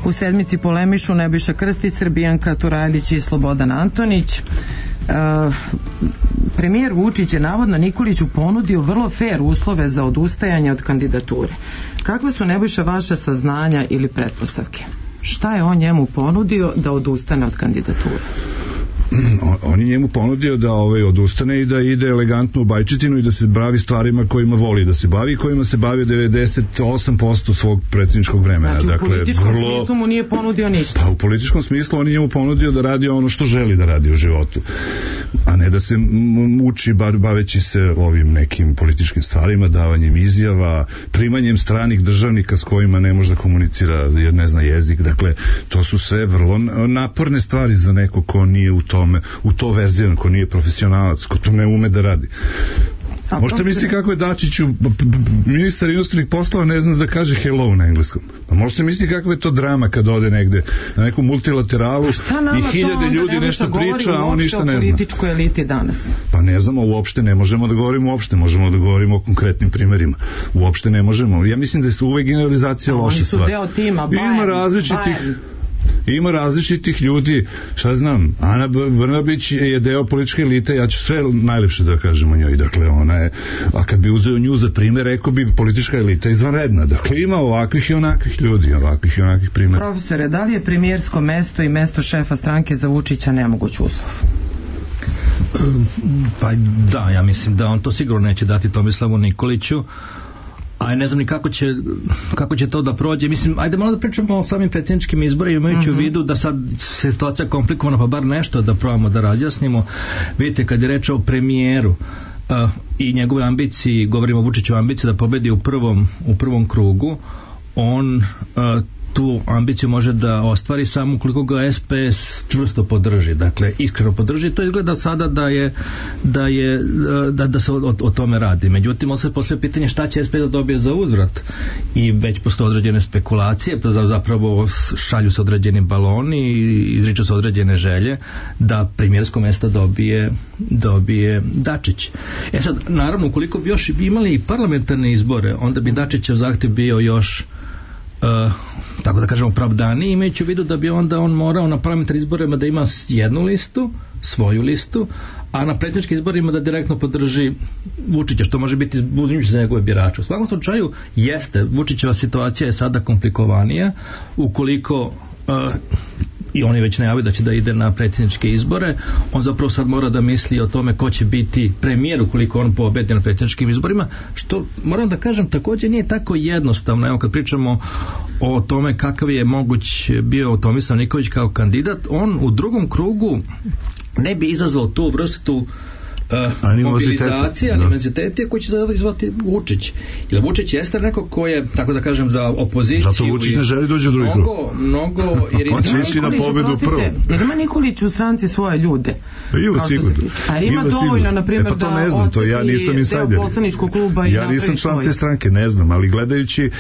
[SPEAKER 2] U sedmici polemišu Nebojša Krstić, Srbijanka Turajlić i Slobodan Antonić. Uh, premijer Vučić je navodno Nikoliću ponudio vrlo fair uslove za odustajanje od kandidature. Kakve su, Nebojša, vaše saznanja ili pretpostavke? Šta je on njemu ponudio da odustane od kandidature?
[SPEAKER 4] On je njemu ponudio da ovaj odustane i da ide elegantno u Bajčetinu i da se bavi stvarima kojima voli da se bavi i kojima se bavi devedeset osam posto svog predsjedničkog vremena.
[SPEAKER 2] Znači,
[SPEAKER 4] dakle,
[SPEAKER 2] u političkom
[SPEAKER 4] vrlo...
[SPEAKER 2] smislu mu nije ponudio ništa.
[SPEAKER 4] Pa u političkom smislu on je njemu ponudio da radi ono što želi da radi u životu, a ne da se muči baveći se ovim nekim političkim stvarima, davanjem izjava, primanjem stranih državnika s kojima ne može da komunicira jer ne zna jezik. Dakle, to su sve vrlo naporne stvari za neko ko nije u tome, u to verziran, ko nije profesionalac, ko to ne ume da radi. A možete misliti kako je Dačiću ministar inostranih poslova ne zna da kaže hello na engleskom. Pa možete misliti kakva je to drama kad ode negde na neku multilateralu i hiljade ljudi nešto priča, a on ništa ne zna.
[SPEAKER 2] O političkoj eliti danas.
[SPEAKER 4] Pa ne znamo, uopšte ne možemo da govorimo uopšte, možemo da govorimo o konkretnim primerima. Uopšte ne možemo. Ja mislim da je uvek generalizacija loša stvar.
[SPEAKER 2] Oni su deo tima, Bayern,
[SPEAKER 4] Ima različitih Bayern. Ima različitih ljudi, šta znam, Ana Brnabić je deo političke elite, ja ću sve najlepše da kažem o njoj, dakle ona je, a kad bi uzeo nju za primjer, rekao bi politička elita izvanredna, dakle ima ovakvih i onakvih ljudi, ovakvih i onakvih primjera.
[SPEAKER 2] Profesore, da li je premijersko mesto i mesto šefa stranke za Vučića nemoguć uslov?
[SPEAKER 6] Pa da, ja mislim da on to sigurno neće dati Tomislavu Nikoliću, a ne znam ni kako će, kako će to da prođe. Mislim, ajde malo da pričamo o samim predsjedničkim izborima, imajući uh-huh. u vidu da sad situacija komplikovana, pa bar nešto da probamo da razjasnimo. Vidite, kad je reč o premijeru uh, i njegove ambiciji, govorimo o Vučićevoj ambiciji da pobedi u prvom, u prvom krugu, on uh, tu ambiciju može da ostvari samo ukoliko ga S P S čvrsto podrži, dakle iskreno podrži. To izgleda sada da je da je da, da se o, o tome radi. Međutim, on se postavlja pitanje šta će S P S da dobije za uzvrat i već postoje određene spekulacije, pa zapravo šalju se određeni baloni i izriču se određene želje da premijersko mesto dobije dobije Dačić. E sad, naravno, ukoliko bi još imali i parlamentarne izbore, onda bi Dačićev zahtjev bio još Uh, tako da kažemo opravdani, imajući u vidu da bi onda on morao na parlamentarnim izborima da ima jednu listu, svoju listu, a na predsjedničkim izborima da direktno podrži Vučića, što može biti uzimljujući za njegove birače. U svakom slučaju jeste, Vučićeva situacija je sada komplikovanija ukoliko uh, i on je već najavio da će da ide na predsjedničke izbore, on zapravo sad mora da misli o tome ko će biti premijer ukoliko on pobedi na predsjedničkim izborima, što moram da kažem također nije tako jednostavno. Evo kad pričamo o tome kakav je moguć bio Tomislav Nikolić kao kandidat, on u drugom krugu ne bi izazvao tu vrstu Uh, mobilizacija, animozitete koji će sada izvati Vučić. Jer Vučić jeste neko ko je, tako da kažem, za opoziciju.
[SPEAKER 4] Zato Vučić ne želi dođe u drugi krug.
[SPEAKER 6] Mnogo, mnogo... Jer
[SPEAKER 4] on će ići na pobedu prvo.
[SPEAKER 2] Jer ima Nikolić u stranci svoje ljude.
[SPEAKER 4] Ima sigurno.
[SPEAKER 2] A ima dovoljno, na primjer,
[SPEAKER 4] e, pa to ne znam, to ja nisam insajder.
[SPEAKER 2] Kluba
[SPEAKER 4] ja nisam član te stranke, ne znam, ali gledajući, e,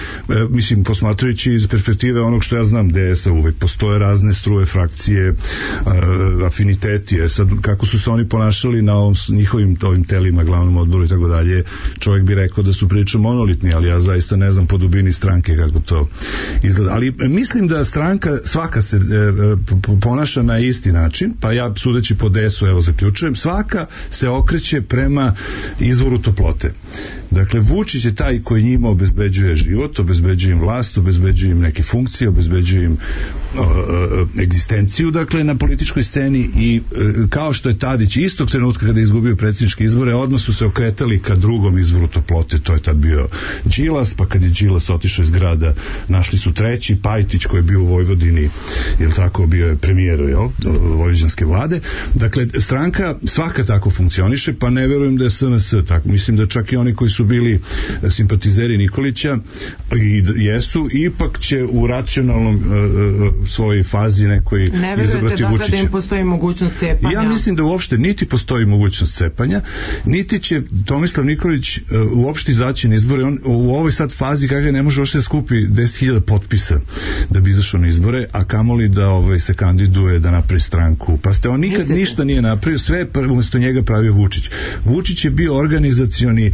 [SPEAKER 4] mislim, posmatrajući iz perspektive onog što ja znam, D S A uvek postoje razne struje, frakcije, a, afiniteti. E, sad, kako su se oni ponašali na ovom njihovim ovim telima, glavnom odboru i tako dalje, čovjek bi rekao da su prilično monolitni, ali ja zaista ne znam po dubini stranke kako to izgleda. Ali mislim da stranka svaka se e, ponaša na isti način, pa ja sudeći po D S U, evo zaključujem, svaka se okreće prema izvoru toplote. Dakle, Vučić je taj koji njima obezbeđuje život, obezbeđuje im vlast, obezbeđuje im neke funkcije, obezbeđuje im o, o, egzistenciju, dakle, na političkoj sceni i o, kao što je Tadić istog trenutka kada je izgubio predsjedničke izbore, odmah su se okretali ka drugom izvoru toplote, to je tad bio Đilas, pa kad je Đilas otišao iz grada, našli su treći, Pajtić koji je bio u Vojvodini, jel tako, bio je premijer, jel, vojvođanske vlade. Dakle, stranka svaka tako funkcioniše, pa ne verujem da je S N S tako. Mislim da čak i oni koji su su bili simpatizeri Nikolića i jesu, ipak će u racionalnom uh, svojoj fazi nekoj izabrati Vučića.
[SPEAKER 2] Ne verujete da im postoji mogućnost cepanja?
[SPEAKER 4] Ja mislim da uopšte niti postoji mogućnost cepanja, niti će Tomislav Nikolić uh, uopšte izaći na izbore. On u ovoj sad fazi kakve ne može uopšte skupi deset hiljada potpisa da bi izašao na izbore, a kamoli da ovaj, se kandiduje da napravi stranku. Pa ste on nikad Mislite? ništa nije napravio, sve je umjesto njega pravio Vučić. Vučić je bio organizacioni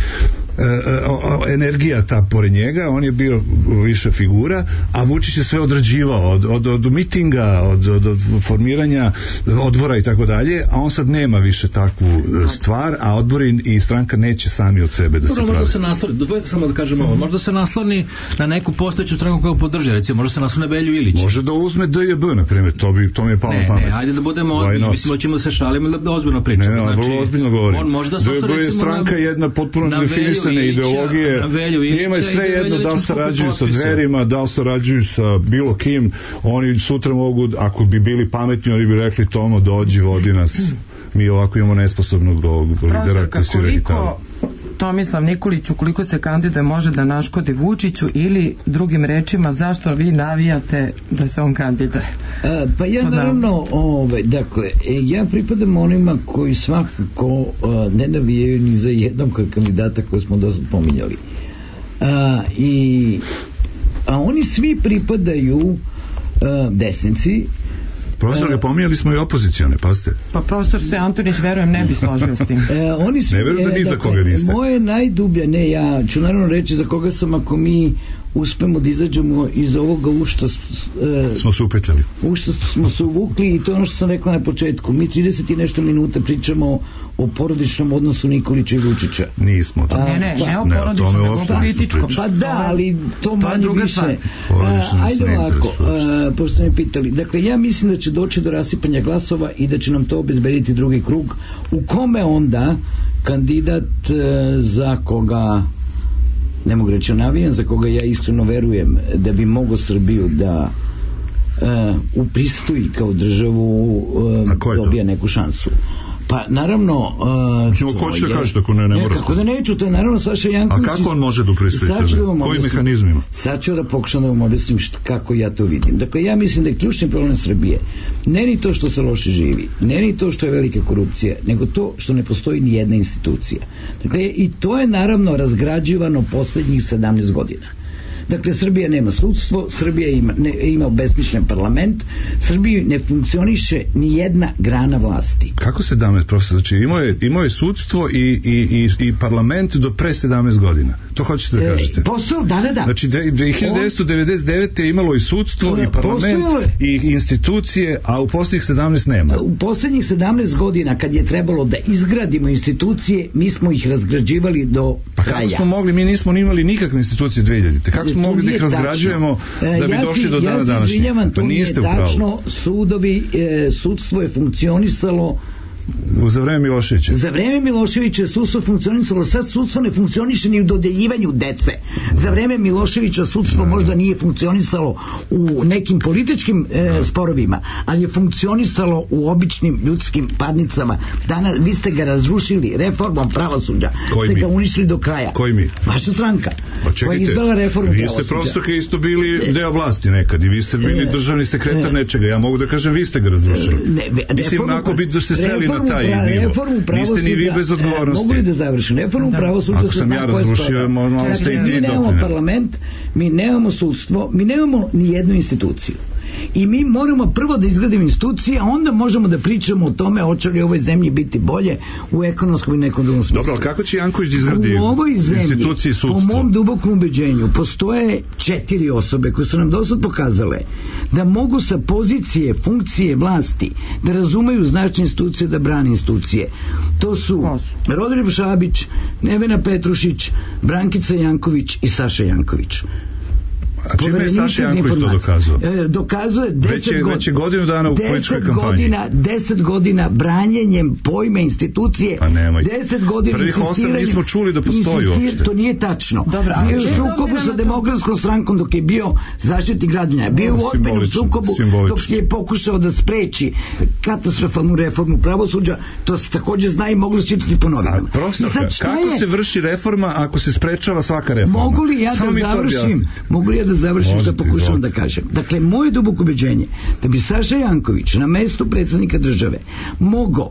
[SPEAKER 4] energija ta pored njega, on je bio više figura, a Vučić je sve odrađivao od, od, od mitinga, od, od, od formiranja odbora i tako dalje, a on sad nema više takvu stvar, a odbori i stranka neće sami od sebe da se pravi.
[SPEAKER 6] Možda se nasloni, dozvolite samo da kažem ovo, možda se nasloni na neku postojeću stranku koju podrži, recimo, možda se nasloni na Velju Ilić.
[SPEAKER 4] Može da uzme D J B, na primjer, to, bi, to mi je palo na pamet.
[SPEAKER 6] Ne, ajde da budemo ozbiljni, mislim da ćemo da se šalimo ili da ozbiljno pričamo.
[SPEAKER 4] Ne, ne,
[SPEAKER 6] znači,
[SPEAKER 4] vrlo ozbiljno govorim.
[SPEAKER 6] On možda
[SPEAKER 4] D J B je stranka jedna potpuno nedefinisane ideologije, njima je sve jedno da li sarađuju sa Dverima, da li sarađuju sa bilo kim, oni sutra mogu, ako bi bili pametni, oni bi rekli Tomo, dođi, vodi nas, mi ovako imamo nesposobnog lidera koji si
[SPEAKER 2] koliko Tomislav Nikolić, ukoliko se kandiduje, može da naškodi Vučiću, ili drugim rečima, zašto vi navijate da se on kandiduje?
[SPEAKER 5] A, pa ja naravno, ove, dakle, ja pripadam onima koji svakako a, ne navijaju ni za jednog kandidata koji smo dosta pominjali. A, i, a oni svi pripadaju a, desnici.
[SPEAKER 4] Profesor, ga pominjali smo i opozicione, pazite.
[SPEAKER 2] Pa profesor se Antonić, verujem, ne bi složio s tim.
[SPEAKER 5] E, oni su,
[SPEAKER 4] ne verujem da ni za koga niste.
[SPEAKER 5] Moje najdublje, ne, ja ću naravno reći za koga sam, ako mi uspemo da izađemo iz ovoga u što e,
[SPEAKER 4] smo se upetljali.
[SPEAKER 5] U što smo se uvukli, i to je ono što sam rekla na početku. Mi trideset i nešto minuta pričamo o porodičnom odnosu Nikolića i Vučića.
[SPEAKER 4] Nismo to.
[SPEAKER 2] Ne, ne, ne o porodičnom, nego o političkom.
[SPEAKER 5] Pa da, ali to manje više.
[SPEAKER 4] A,
[SPEAKER 5] ajde ovako, a, pošto me pitali. Dakle, ja mislim da će doći do rasipanja glasova i da će nam to obezbediti drugi krug, u kome onda kandidat e, za koga ne mogu reći navijam, za koga ja iskreno verujem da bi mogao Srbiju da uh, upristoji kao državu, uh, dobija neku šansu. Pa naravno uh,
[SPEAKER 4] ko će da kažete ako ne, ne mora?
[SPEAKER 5] Kako da neću, to je naravno Saša Janković.
[SPEAKER 4] A kako on može da upristoji sebe? Koji mehanizmima?
[SPEAKER 5] Sad ću da pokušam da vam objasnim šta, kako ja to vidim. Dakle, ja mislim da je ključni problem Srbije ne ni to što se loše živi, ne ni to što je velika korupcija, nego to što ne postoji ni jedna institucija. Dakle, i to je naravno razgrađivano poslednjih sedamnaest godina. Dakle, Srbija nema sudstvo, Srbija ima, ne, ima obesmišljen parlament, Srbiji ne funkcioniše ni jedna grana vlasti.
[SPEAKER 4] Kako sedamnaest, profesor? Znači, imao je, imao je sudstvo i, i, i, i parlament do pre sedamnaest godina. To hoćete da kažete? E,
[SPEAKER 5] posao, da, da, da.
[SPEAKER 4] Znači, hiljadu devetsto devedeset devete je imalo i sudstvo, i parlament, i institucije, a u posljednjih sedamnaest nema.
[SPEAKER 5] U posljednjih sedamnaest godina, kad je trebalo da izgradimo institucije, mi smo ih razgrađivali do
[SPEAKER 4] pa
[SPEAKER 5] kraja.
[SPEAKER 4] Pa kako smo mogli? Mi nismo imali nikakve institucije dve hiljadite. Kako smo mogli da ih razgrađujemo da bi
[SPEAKER 5] ja
[SPEAKER 4] došli
[SPEAKER 5] si,
[SPEAKER 4] do dana
[SPEAKER 5] ja
[SPEAKER 4] današnjeg?
[SPEAKER 5] Pa niste u pravu. Tačno, sudovi, e, sudstvo je funkcionisalo
[SPEAKER 4] u za vreme Miloševića.
[SPEAKER 5] Za vreme Miloševića sudstvo funkcionisalo, sad sudstvo ne funkcioniše ni u dodeljivanju dece. Za vreme Miloševića sudstvo možda nije funkcionisalo u nekim političkim e, sporovima, ali je funkcionisalo u običnim ljudskim padnicama. Danas vi ste ga razrušili reformom pravosuđa. Koji ste mi? Ga uništili do kraja.
[SPEAKER 4] Koji mi?
[SPEAKER 5] Vaša stranka.
[SPEAKER 4] Pa čekajte,
[SPEAKER 5] koja je izdala reformu
[SPEAKER 4] vi
[SPEAKER 5] pravosuđa.
[SPEAKER 4] ste prosto kao isto bili deo vlasti nekad i vi ste bili državni sekretar nečega. Ja mogu da kažem vi ste ga razrušili. Ne, Mislim, onako bi da se sreli na taj nivo. Niste ni vi bez odgovornosti.
[SPEAKER 5] Mogu li da završim? Reformu da. Pravosuđa.
[SPEAKER 4] Ako sam ja razrušio, možda ste i ti
[SPEAKER 5] doprinjeli. Mi nemamo parlament, mi nemamo sudstvo, mi nemamo ni jednu instituciju. I mi moramo prvo da izgradimo institucije, a onda možemo da pričamo o tome hoće li u ovoj zemlji biti bolje u ekonomskom i nekom drugom smislu.
[SPEAKER 4] Dobro, kako će Janković da izgradi institucije i sudstvo?
[SPEAKER 5] Po mom dubokom ubeđenju postoje četiri osobe koje su nam dosad pokazale da mogu sa pozicije, funkcije vlasti da razumeju značaj institucije, da brane institucije. To su Rodoljub Šabić, Nevena Petrušić, Brankica Janković i Saša Janković.
[SPEAKER 4] A čime je Saša Janković to dokazao?
[SPEAKER 5] E, dokazuje deset godina.
[SPEAKER 4] Već je godinu dana u političkoj kampanji.
[SPEAKER 5] Godina, deset godina branjenjem pojma institucije.
[SPEAKER 4] Pa nemoj.
[SPEAKER 5] deset godina
[SPEAKER 4] Prvih osam nismo čuli da postoji uopšte.
[SPEAKER 5] To nije tačno.
[SPEAKER 2] Dobro,
[SPEAKER 5] bio je u sukobu sa Demokratskom strankom dok je bio zaštitnik građana. Bio je u ozbiljnom sukobu dok je pokušao da spreči katastrofalnu reformu pravosuđa. To se takođe zna i moglo se čitati po novinama.
[SPEAKER 4] Profesorka, kako je... se vrši reforma ako se sprečava svaka reforma?
[SPEAKER 5] Mogu li ja Samo da završim? Mogu li ja da završim što pokušavam da kažem? Dakle, moje duboko ubeđenje da bi Saša Janković na mestu predsjednika države mogao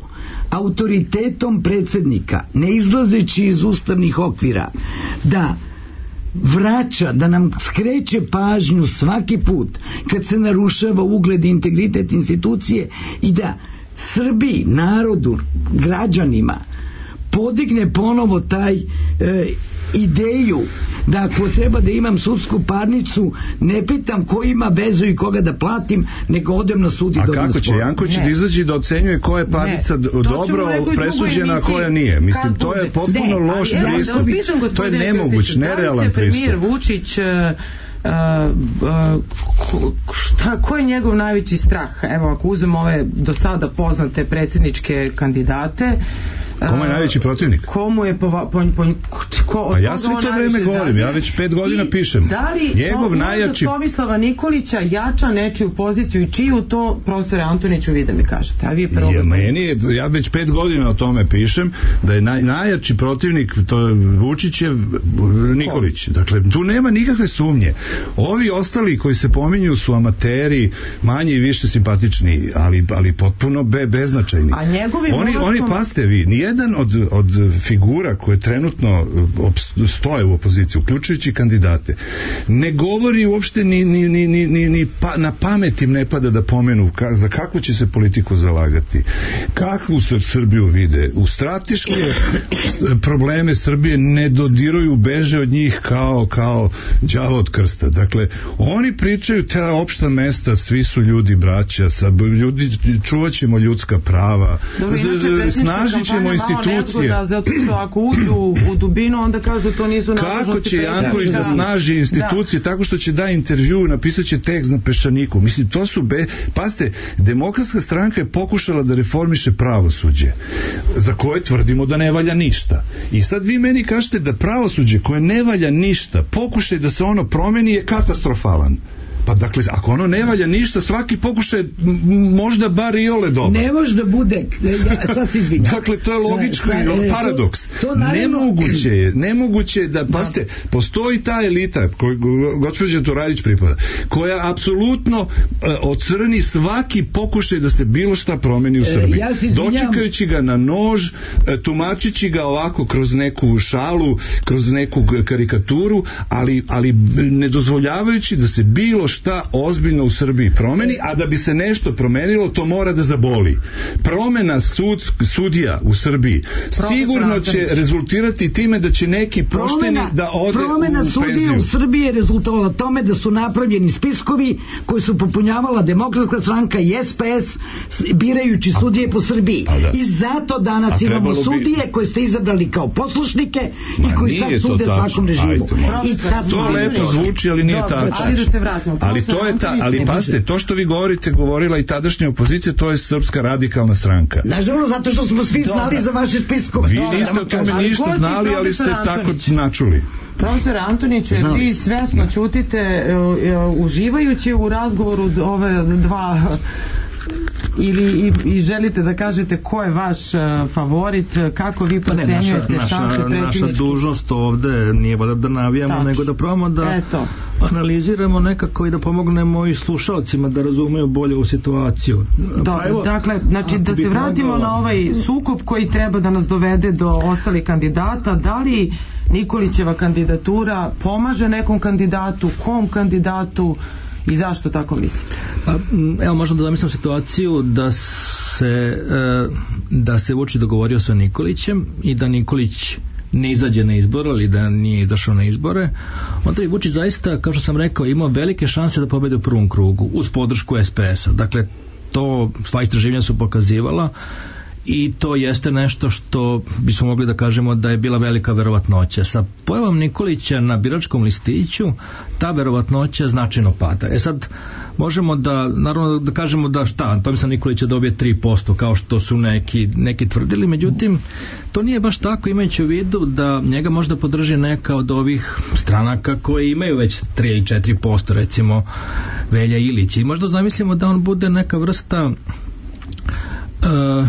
[SPEAKER 5] autoritetom predsjednika, ne izlazeći iz ustavnih okvira, da vraća, da nam skreće pažnju svaki put kad se narušava ugled i integritet institucije i da Srbiji, narodu, građanima podigne ponovo taj e, ideju da ako treba da imam sudsku parnicu, ne pitam ko ima vezu i koga da platim, nego odem na sud i
[SPEAKER 4] a
[SPEAKER 5] dobim
[SPEAKER 4] kako će Janković da izađe da ocenjuje koja je parnica ne. dobro presuđena, a koja nije? Mislim, to je potpuno ne, loš pristup. To je nemoguć, nerealan pristup.
[SPEAKER 2] Premijer Vučić Uh, uh, šta, ko je njegov najveći strah? Evo, ako uzmemo ove do sada poznate predsjedničke kandidate,
[SPEAKER 4] komu je najveći protivnik?
[SPEAKER 2] Komu je po, po, po, ko,
[SPEAKER 4] pa ja sve to vreme govorim, ja već pet godina I pišem.
[SPEAKER 2] Da li
[SPEAKER 4] njegov najjači...
[SPEAKER 2] Tomislava Nikolića jača nečiju poziciju i čiju to, profesore Antoniću, vi da mi kažete? A vi je prvo...
[SPEAKER 4] Ja, meni je, ja već pet godina o tome pišem, da je naj, najjači protivnik to Vučićev Nikolić. Dakle, tu nema nikakve sumnje. Ovi ostali koji se pominju su amateri, manje i više simpatični, ali, ali potpuno be, beznačajni.
[SPEAKER 2] A njegovi
[SPEAKER 4] oni,
[SPEAKER 2] molostom...
[SPEAKER 4] oni paste vi, jedan od, od figura koje trenutno stoje u opoziciji, uključujući kandidate, ne govori uopšte ni, ni, ni, ni, ni, ni pa, na pamet im ne pada da pomenu ka, za kakvu će se politiku zalagati, kakvu se Srbiju vide. U strateške probleme Srbije ne dodiruju, beže od njih kao, kao đavo od krsta. Dakle, oni pričaju ta opšta mesta, svi su ljudi braća, sa ljudi, čuvat ćemo ljudska prava, snažit ćemo institucije.
[SPEAKER 2] Da, zato što ako uđu u dubinu, onda kažu to nisu nadležnosti.
[SPEAKER 4] Kako će Janković da snaži institucije? Da. Tako što će da intervju, napisat će tekst na peščaniku. Mislim, to su be... Paste, Demokratska stranka je pokušala da reformiše pravosuđe, za koje tvrdimo da ne valja ništa. I sad vi meni kažete da pravosuđe koje ne valja ništa, pokušaj da se ono promeni je katastrofalan. Pa dakle, ako ono ne valja ništa, svaki pokušaj možda bar i ole dobar.
[SPEAKER 5] Ne može da bude, ja, sad se izvinjam.
[SPEAKER 4] Dakle, to je logički paradoks. To, to naravno... Nemoguće je, nemoguće je da, paste, postoji ta elita, koju gospođa Turajlić pripada, koja apsolutno uh, ocrni svaki pokušaj da se bilo šta promeni u Srbiji. Ja dočekajući ga na nož, uh, tumačići ga ovako kroz neku šalu, kroz neku karikaturu, ali, ali ne dozvoljavajući da se bilo šta ozbiljno u Srbiji promeni, a da bi se nešto promenilo, to mora da zaboli. Promena sud, sudija u Srbiji sigurno će rezultirati time da će neki pošteni da ode
[SPEAKER 5] promena
[SPEAKER 4] u penziju.
[SPEAKER 5] Promena sudija u Srbiji je rezultovala tome da su napravljeni spiskovi koji su popunjavala Demokratska stranka i S P S birajući sudije po Srbiji. Da. I zato danas imamo sudije bi... koje ste izabrali kao poslušnike Ma, i koji sad sude svakom režimu.
[SPEAKER 4] Ajde, I to lepo zvuči, ali nije tačno.
[SPEAKER 2] Ali da se vratimo.
[SPEAKER 4] Ali to je ta, ali pazite, to što vi govorite, govorila i tadašnja opozicija, to je Srpska radikalna stranka.
[SPEAKER 5] Nažalost, zato što smo svi znali za vaše spiskove.
[SPEAKER 4] Vi niste o tome ništa znali, ali ste tako načuli.
[SPEAKER 2] Profesor Antoniću, vi svesno ćutite, uživajući u razgovoru ove dva ili i, i želite da kažete ko je vaš uh, favorit, kako vi procenjujete
[SPEAKER 6] naša,
[SPEAKER 2] šanse predsjedničke?
[SPEAKER 6] Naša dužnost ovde nije da, da navijamo, Tač. nego da probamo da Eto. analiziramo nekako i da pomognemo i slušalcima da razumeju bolje u situaciju.
[SPEAKER 2] Dobro, pa evo, dakle, znači da se vratimo mogla... na ovaj sukob koji treba da nas dovede do ostalih kandidata. Da li Nikolićeva kandidatura pomaže nekom kandidatu, kom kandidatu i zašto tako mislite?
[SPEAKER 6] Pa, evo, možemo da zamislimo situaciju da se da se Vučić dogovorio sa Nikolićem i da Nikolić ne izađe na izbore ili da nije izašao na izbore, onda je Vučić zaista, kao što sam rekao, imao velike šanse da pobedi u prvom krugu uz podršku S P S-a. Dakle, to sva istraživanja su pokazivala i to jeste nešto što bismo mogli da kažemo da je bila velika verovatnoća. Sa pojavom Nikolića na biračkom listiću ta verovatnoća značajno pada. E sad možemo da, naravno da kažemo da šta, Tomislav Nikolić će dobije tri posto kao što su neki, neki tvrdili, međutim to nije baš tako, imajući u vidu da njega možda podrži neka od ovih stranaka koje imaju već tri ili četiri posto, recimo Velja Ilić, i možda zamislimo da on bude neka vrsta Uh, uh,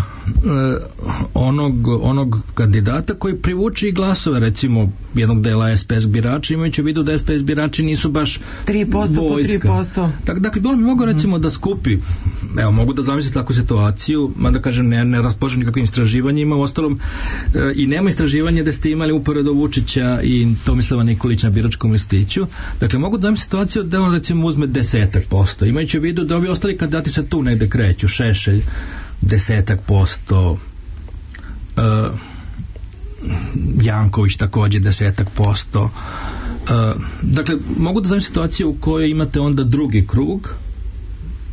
[SPEAKER 6] onog, onog kandidata koji privuče i glasove recimo jednog dela es pe es birača, imajući u vidu da es pe es birači nisu baš
[SPEAKER 2] tri posto po tri posto.
[SPEAKER 6] Dak, dakle, on bi mogao recimo da skupi, evo, mogu da zamislim takvu situaciju, mada kažem ne, ne raspoložim nikakvim istraživanjima, u ostalom uh, i nema istraživanja da ste imali uporedo Vučića i Tomislava Nikolića na biračkom listiću. Dakle, mogu da zamislim situaciju da on recimo uzme desetak posto, imajući u vidu da ovi ostali kandidati se tu negde kreću, Šešelj desetak posto, uh, Janković takođe desetak posto. Uh, dakle, mogu da znam situaciju u kojoj imate onda drugi krug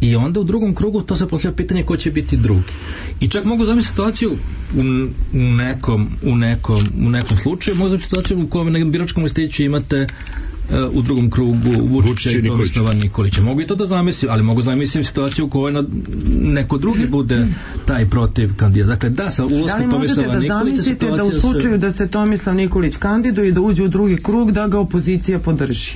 [SPEAKER 6] i onda u drugom krugu to se postavlja pitanje ko će biti drugi. I čak mogu zamisliti situaciju u, u, nekom, u, nekom, u nekom slučaju, mogu zamisliti situaciju u kojoj na biračkom listiću imate u drugom krugu Vučića i Tomislava Nikolića. Mogu i to da zamislim, ali mogu zamislim situaciju u kojoj neko drugi bude taj protiv kandidat. Dakle, da, sa ulaskom Tomislava Nikolića
[SPEAKER 2] da li možete da zamislite da u slučaju se... da se Tomislav Nikolić kandiduje i da uđe u drugi krug, da ga opozicija podrži?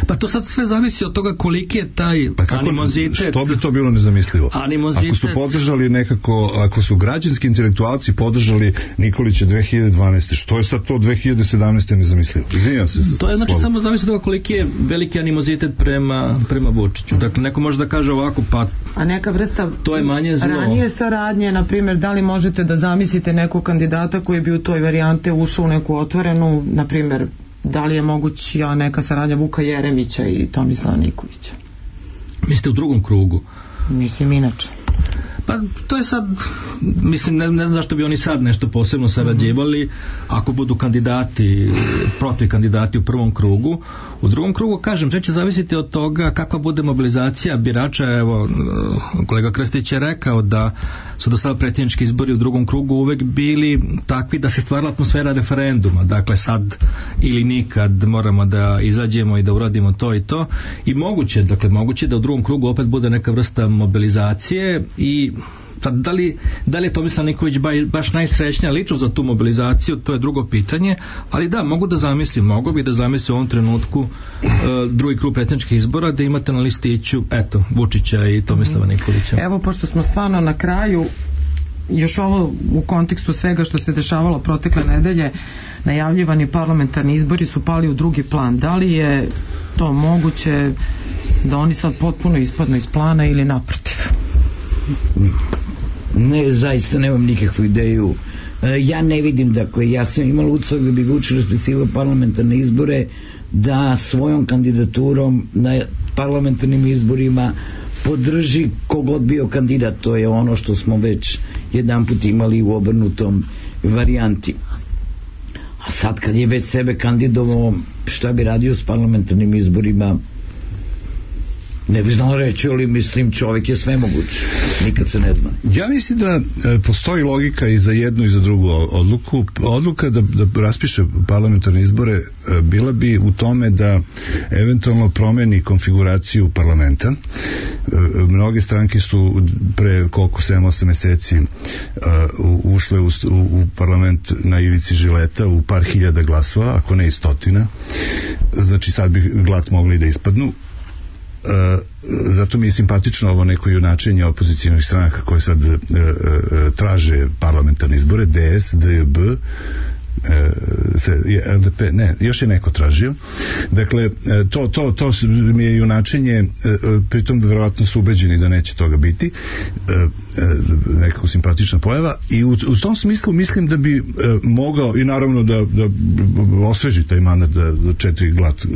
[SPEAKER 6] Pa to sad sve zavisi od toga koliki je taj
[SPEAKER 4] pa kako,
[SPEAKER 6] animozitet.
[SPEAKER 4] Što bi to bilo nezamislivo?
[SPEAKER 6] Animozitet.
[SPEAKER 4] Ako su podržali nekako, ako su građanski intelektualci podržali Nikolića dve hiljade dvanaeste. Što je sad to dve hiljade sedamnaeste nezamislivo? Izvinjam se.
[SPEAKER 6] To je znači samo zavisi od toga koliki je veliki animozitet prema, prema Vučiću. Dakle, neko može da kaže ovako, pa
[SPEAKER 2] a neka vrsta
[SPEAKER 6] to je manje zlo.
[SPEAKER 2] Ranije saradnje, na primjer, da li možete da zamislite nekog kandidata koji bi u toj varijante ušao u neku otvorenu, na primjer, da li je moguća neka saradnja Vuka Jeremića i Tomislava Nikolića?
[SPEAKER 6] Mislite u drugom krugu?
[SPEAKER 2] Mislim inače.
[SPEAKER 6] Pa to je sad, mislim, ne, ne znam zašto bi oni sad nešto posebno sarađivali, ako budu kandidati, protiv kandidati u prvom krugu. U drugom krugu, kažem, sve će zavisiti od toga kakva bude mobilizacija birača. Evo, kolega Krstić je rekao da su do sada predsjednički izbori u drugom krugu uvek bili takvi da se stvarala atmosfera referenduma. Dakle, sad ili nikad moramo da izađemo i da uradimo to i to. I moguće, dakle, moguće da u drugom krugu opet bude neka vrsta mobilizacije i da li, da li je Tomislav Nikolić baš najsrećnija ličnost za tu mobilizaciju, to je drugo pitanje, ali da, mogu da zamislim, mogu bi da zamislim u ovom trenutku uh, drugi krug predsjedničkih izbora da imate na listiću, eto, Vučića i Tomislava Nikolića.
[SPEAKER 2] Evo, pošto smo stvarno na kraju, još ovo u kontekstu svega što se dešavalo protekle nedelje, najavljivani parlamentarni izbori su pali u drugi plan. Da li je to moguće da oni sad potpuno ispadnu iz plana ili naprotiv?
[SPEAKER 5] Ne, zaista nemam nikakvu ideju. Ja ne vidim, dakle, ja sam imala utisak da bi Vučić raspisivao parlamentarne izbore, da svojom kandidaturom na parlamentarnim izborima podrži kogod bio kandidat. To je ono što smo već jedan put imali u obrnutom varijanti. A sad kad je već sebe kandidovao, šta bi radio s parlamentarnim izborima, ne bi znao reći, ali mislim čovjek je sve moguće, nikad se ne zna.
[SPEAKER 4] Ja mislim da e, postoji logika i za jednu i za drugu odluku. Odluka da, da raspiše parlamentarne izbore e, bila bi u tome da eventualno promeni konfiguraciju parlamenta. E, mnoge stranke su pre koliko sedam osam meseci e, ušle u, u, u parlament na ivici žileta u par hiljada glasova, ako ne i stotina. Znači sad bi glad mogli da ispadnu. Uh, zato mi je simpatično ovo neko junačenje opozicijnih stranaka koje sad uh, uh, traže parlamentarne izbore, D S, D J B, se, L D P, ne, još je neko tražio. Dakle, to, to, to mi je junačenje, pritom verovatno su ubeđeni da neće toga biti, nekako simpatična pojava, i u, u tom smislu mislim da bi mogao, i naravno da, da osveži taj mandat da, da četiri glad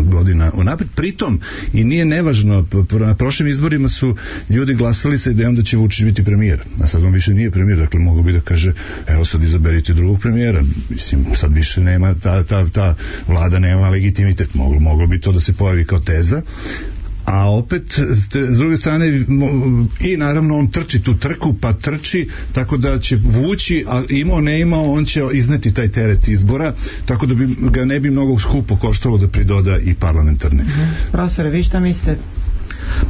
[SPEAKER 4] godina unapred. Pritom, i nije nevažno, na prošlim izborima su ljudi glasali sa idejom da će Vučić biti premijer, a sad on više nije premijer, dakle mogu bi da kaže, evo sad izaberite drugog premijera. Mislim, sad više nema, ta, ta, ta vlada nema legitimitet. Moglo, moglo bi to da se pojavi kao teza, a opet s druge strane i naravno on trči tu trku, pa trči tako da će vući, a imao ne imao on će izneti taj teret izbora, tako da bi ga ne bi mnogo skupo koštalo da pridoda i parlamentarne.
[SPEAKER 2] Uh-huh. Profesore, vi šta mislite?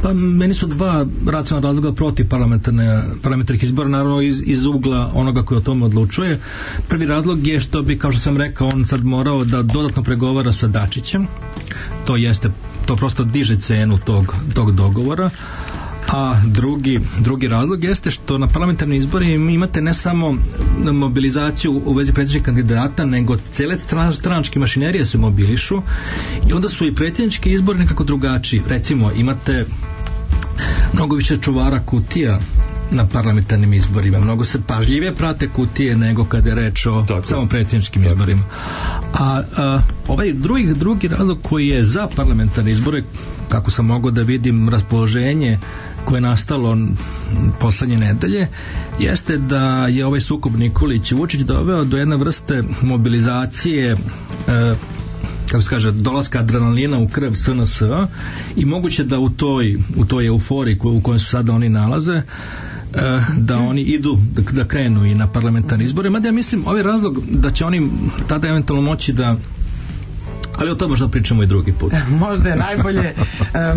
[SPEAKER 6] Pa meni su dva racionalna razloga protiv parlamentarne, parlamentarnih izbora, naravno iz, iz ugla onoga koji o tome odlučuje. Prvi razlog je što bi, kao što sam rekao, on sad morao da dodatno pregovara sa Dačićem. To jeste, to prosto diže cenu tog, tog dogovora. A drugi, drugi razlog jeste što na parlamentarnim izborima imate ne samo mobilizaciju u vezi predsjedničkih kandidata, nego cijele stranačke mašinerije se mobilišu i onda su i predsjednički izbori nekako drugačiji. Recimo, imate mnogo više čuvara kutija na parlamentarnim izborima. Mnogo se pažljivije prate kutije nego kada je reč o tako, samo predsjedničkim tako. izborima. A, a ovaj drugi, drugi razlog koji je za parlamentarne izbore, kako sam mogao da vidim raspoloženje koje je nastalo poslednje nedelje, jeste da je ovaj sukob Nikolić i Vučić doveo do jedne vrste mobilizacije e, kako se kaže, dolaska adrenalina u krv S N S-a i moguće da u toj, u toj euforiji u kojoj su sada oni nalaze da oni idu, da, da krenu i na parlamentarne izbore, mada ja mislim ovaj razlog da će oni tada eventualno moći da, ali o tome možda pričamo i drugi put.
[SPEAKER 2] Možda je najbolje.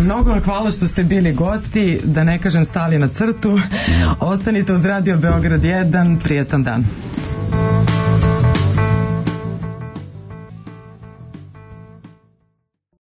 [SPEAKER 2] Mnogo vam hvala što ste bili gosti, da ne kažem stali na crtu. Ostanite uz Radio Beograd jedan, prijetan dan.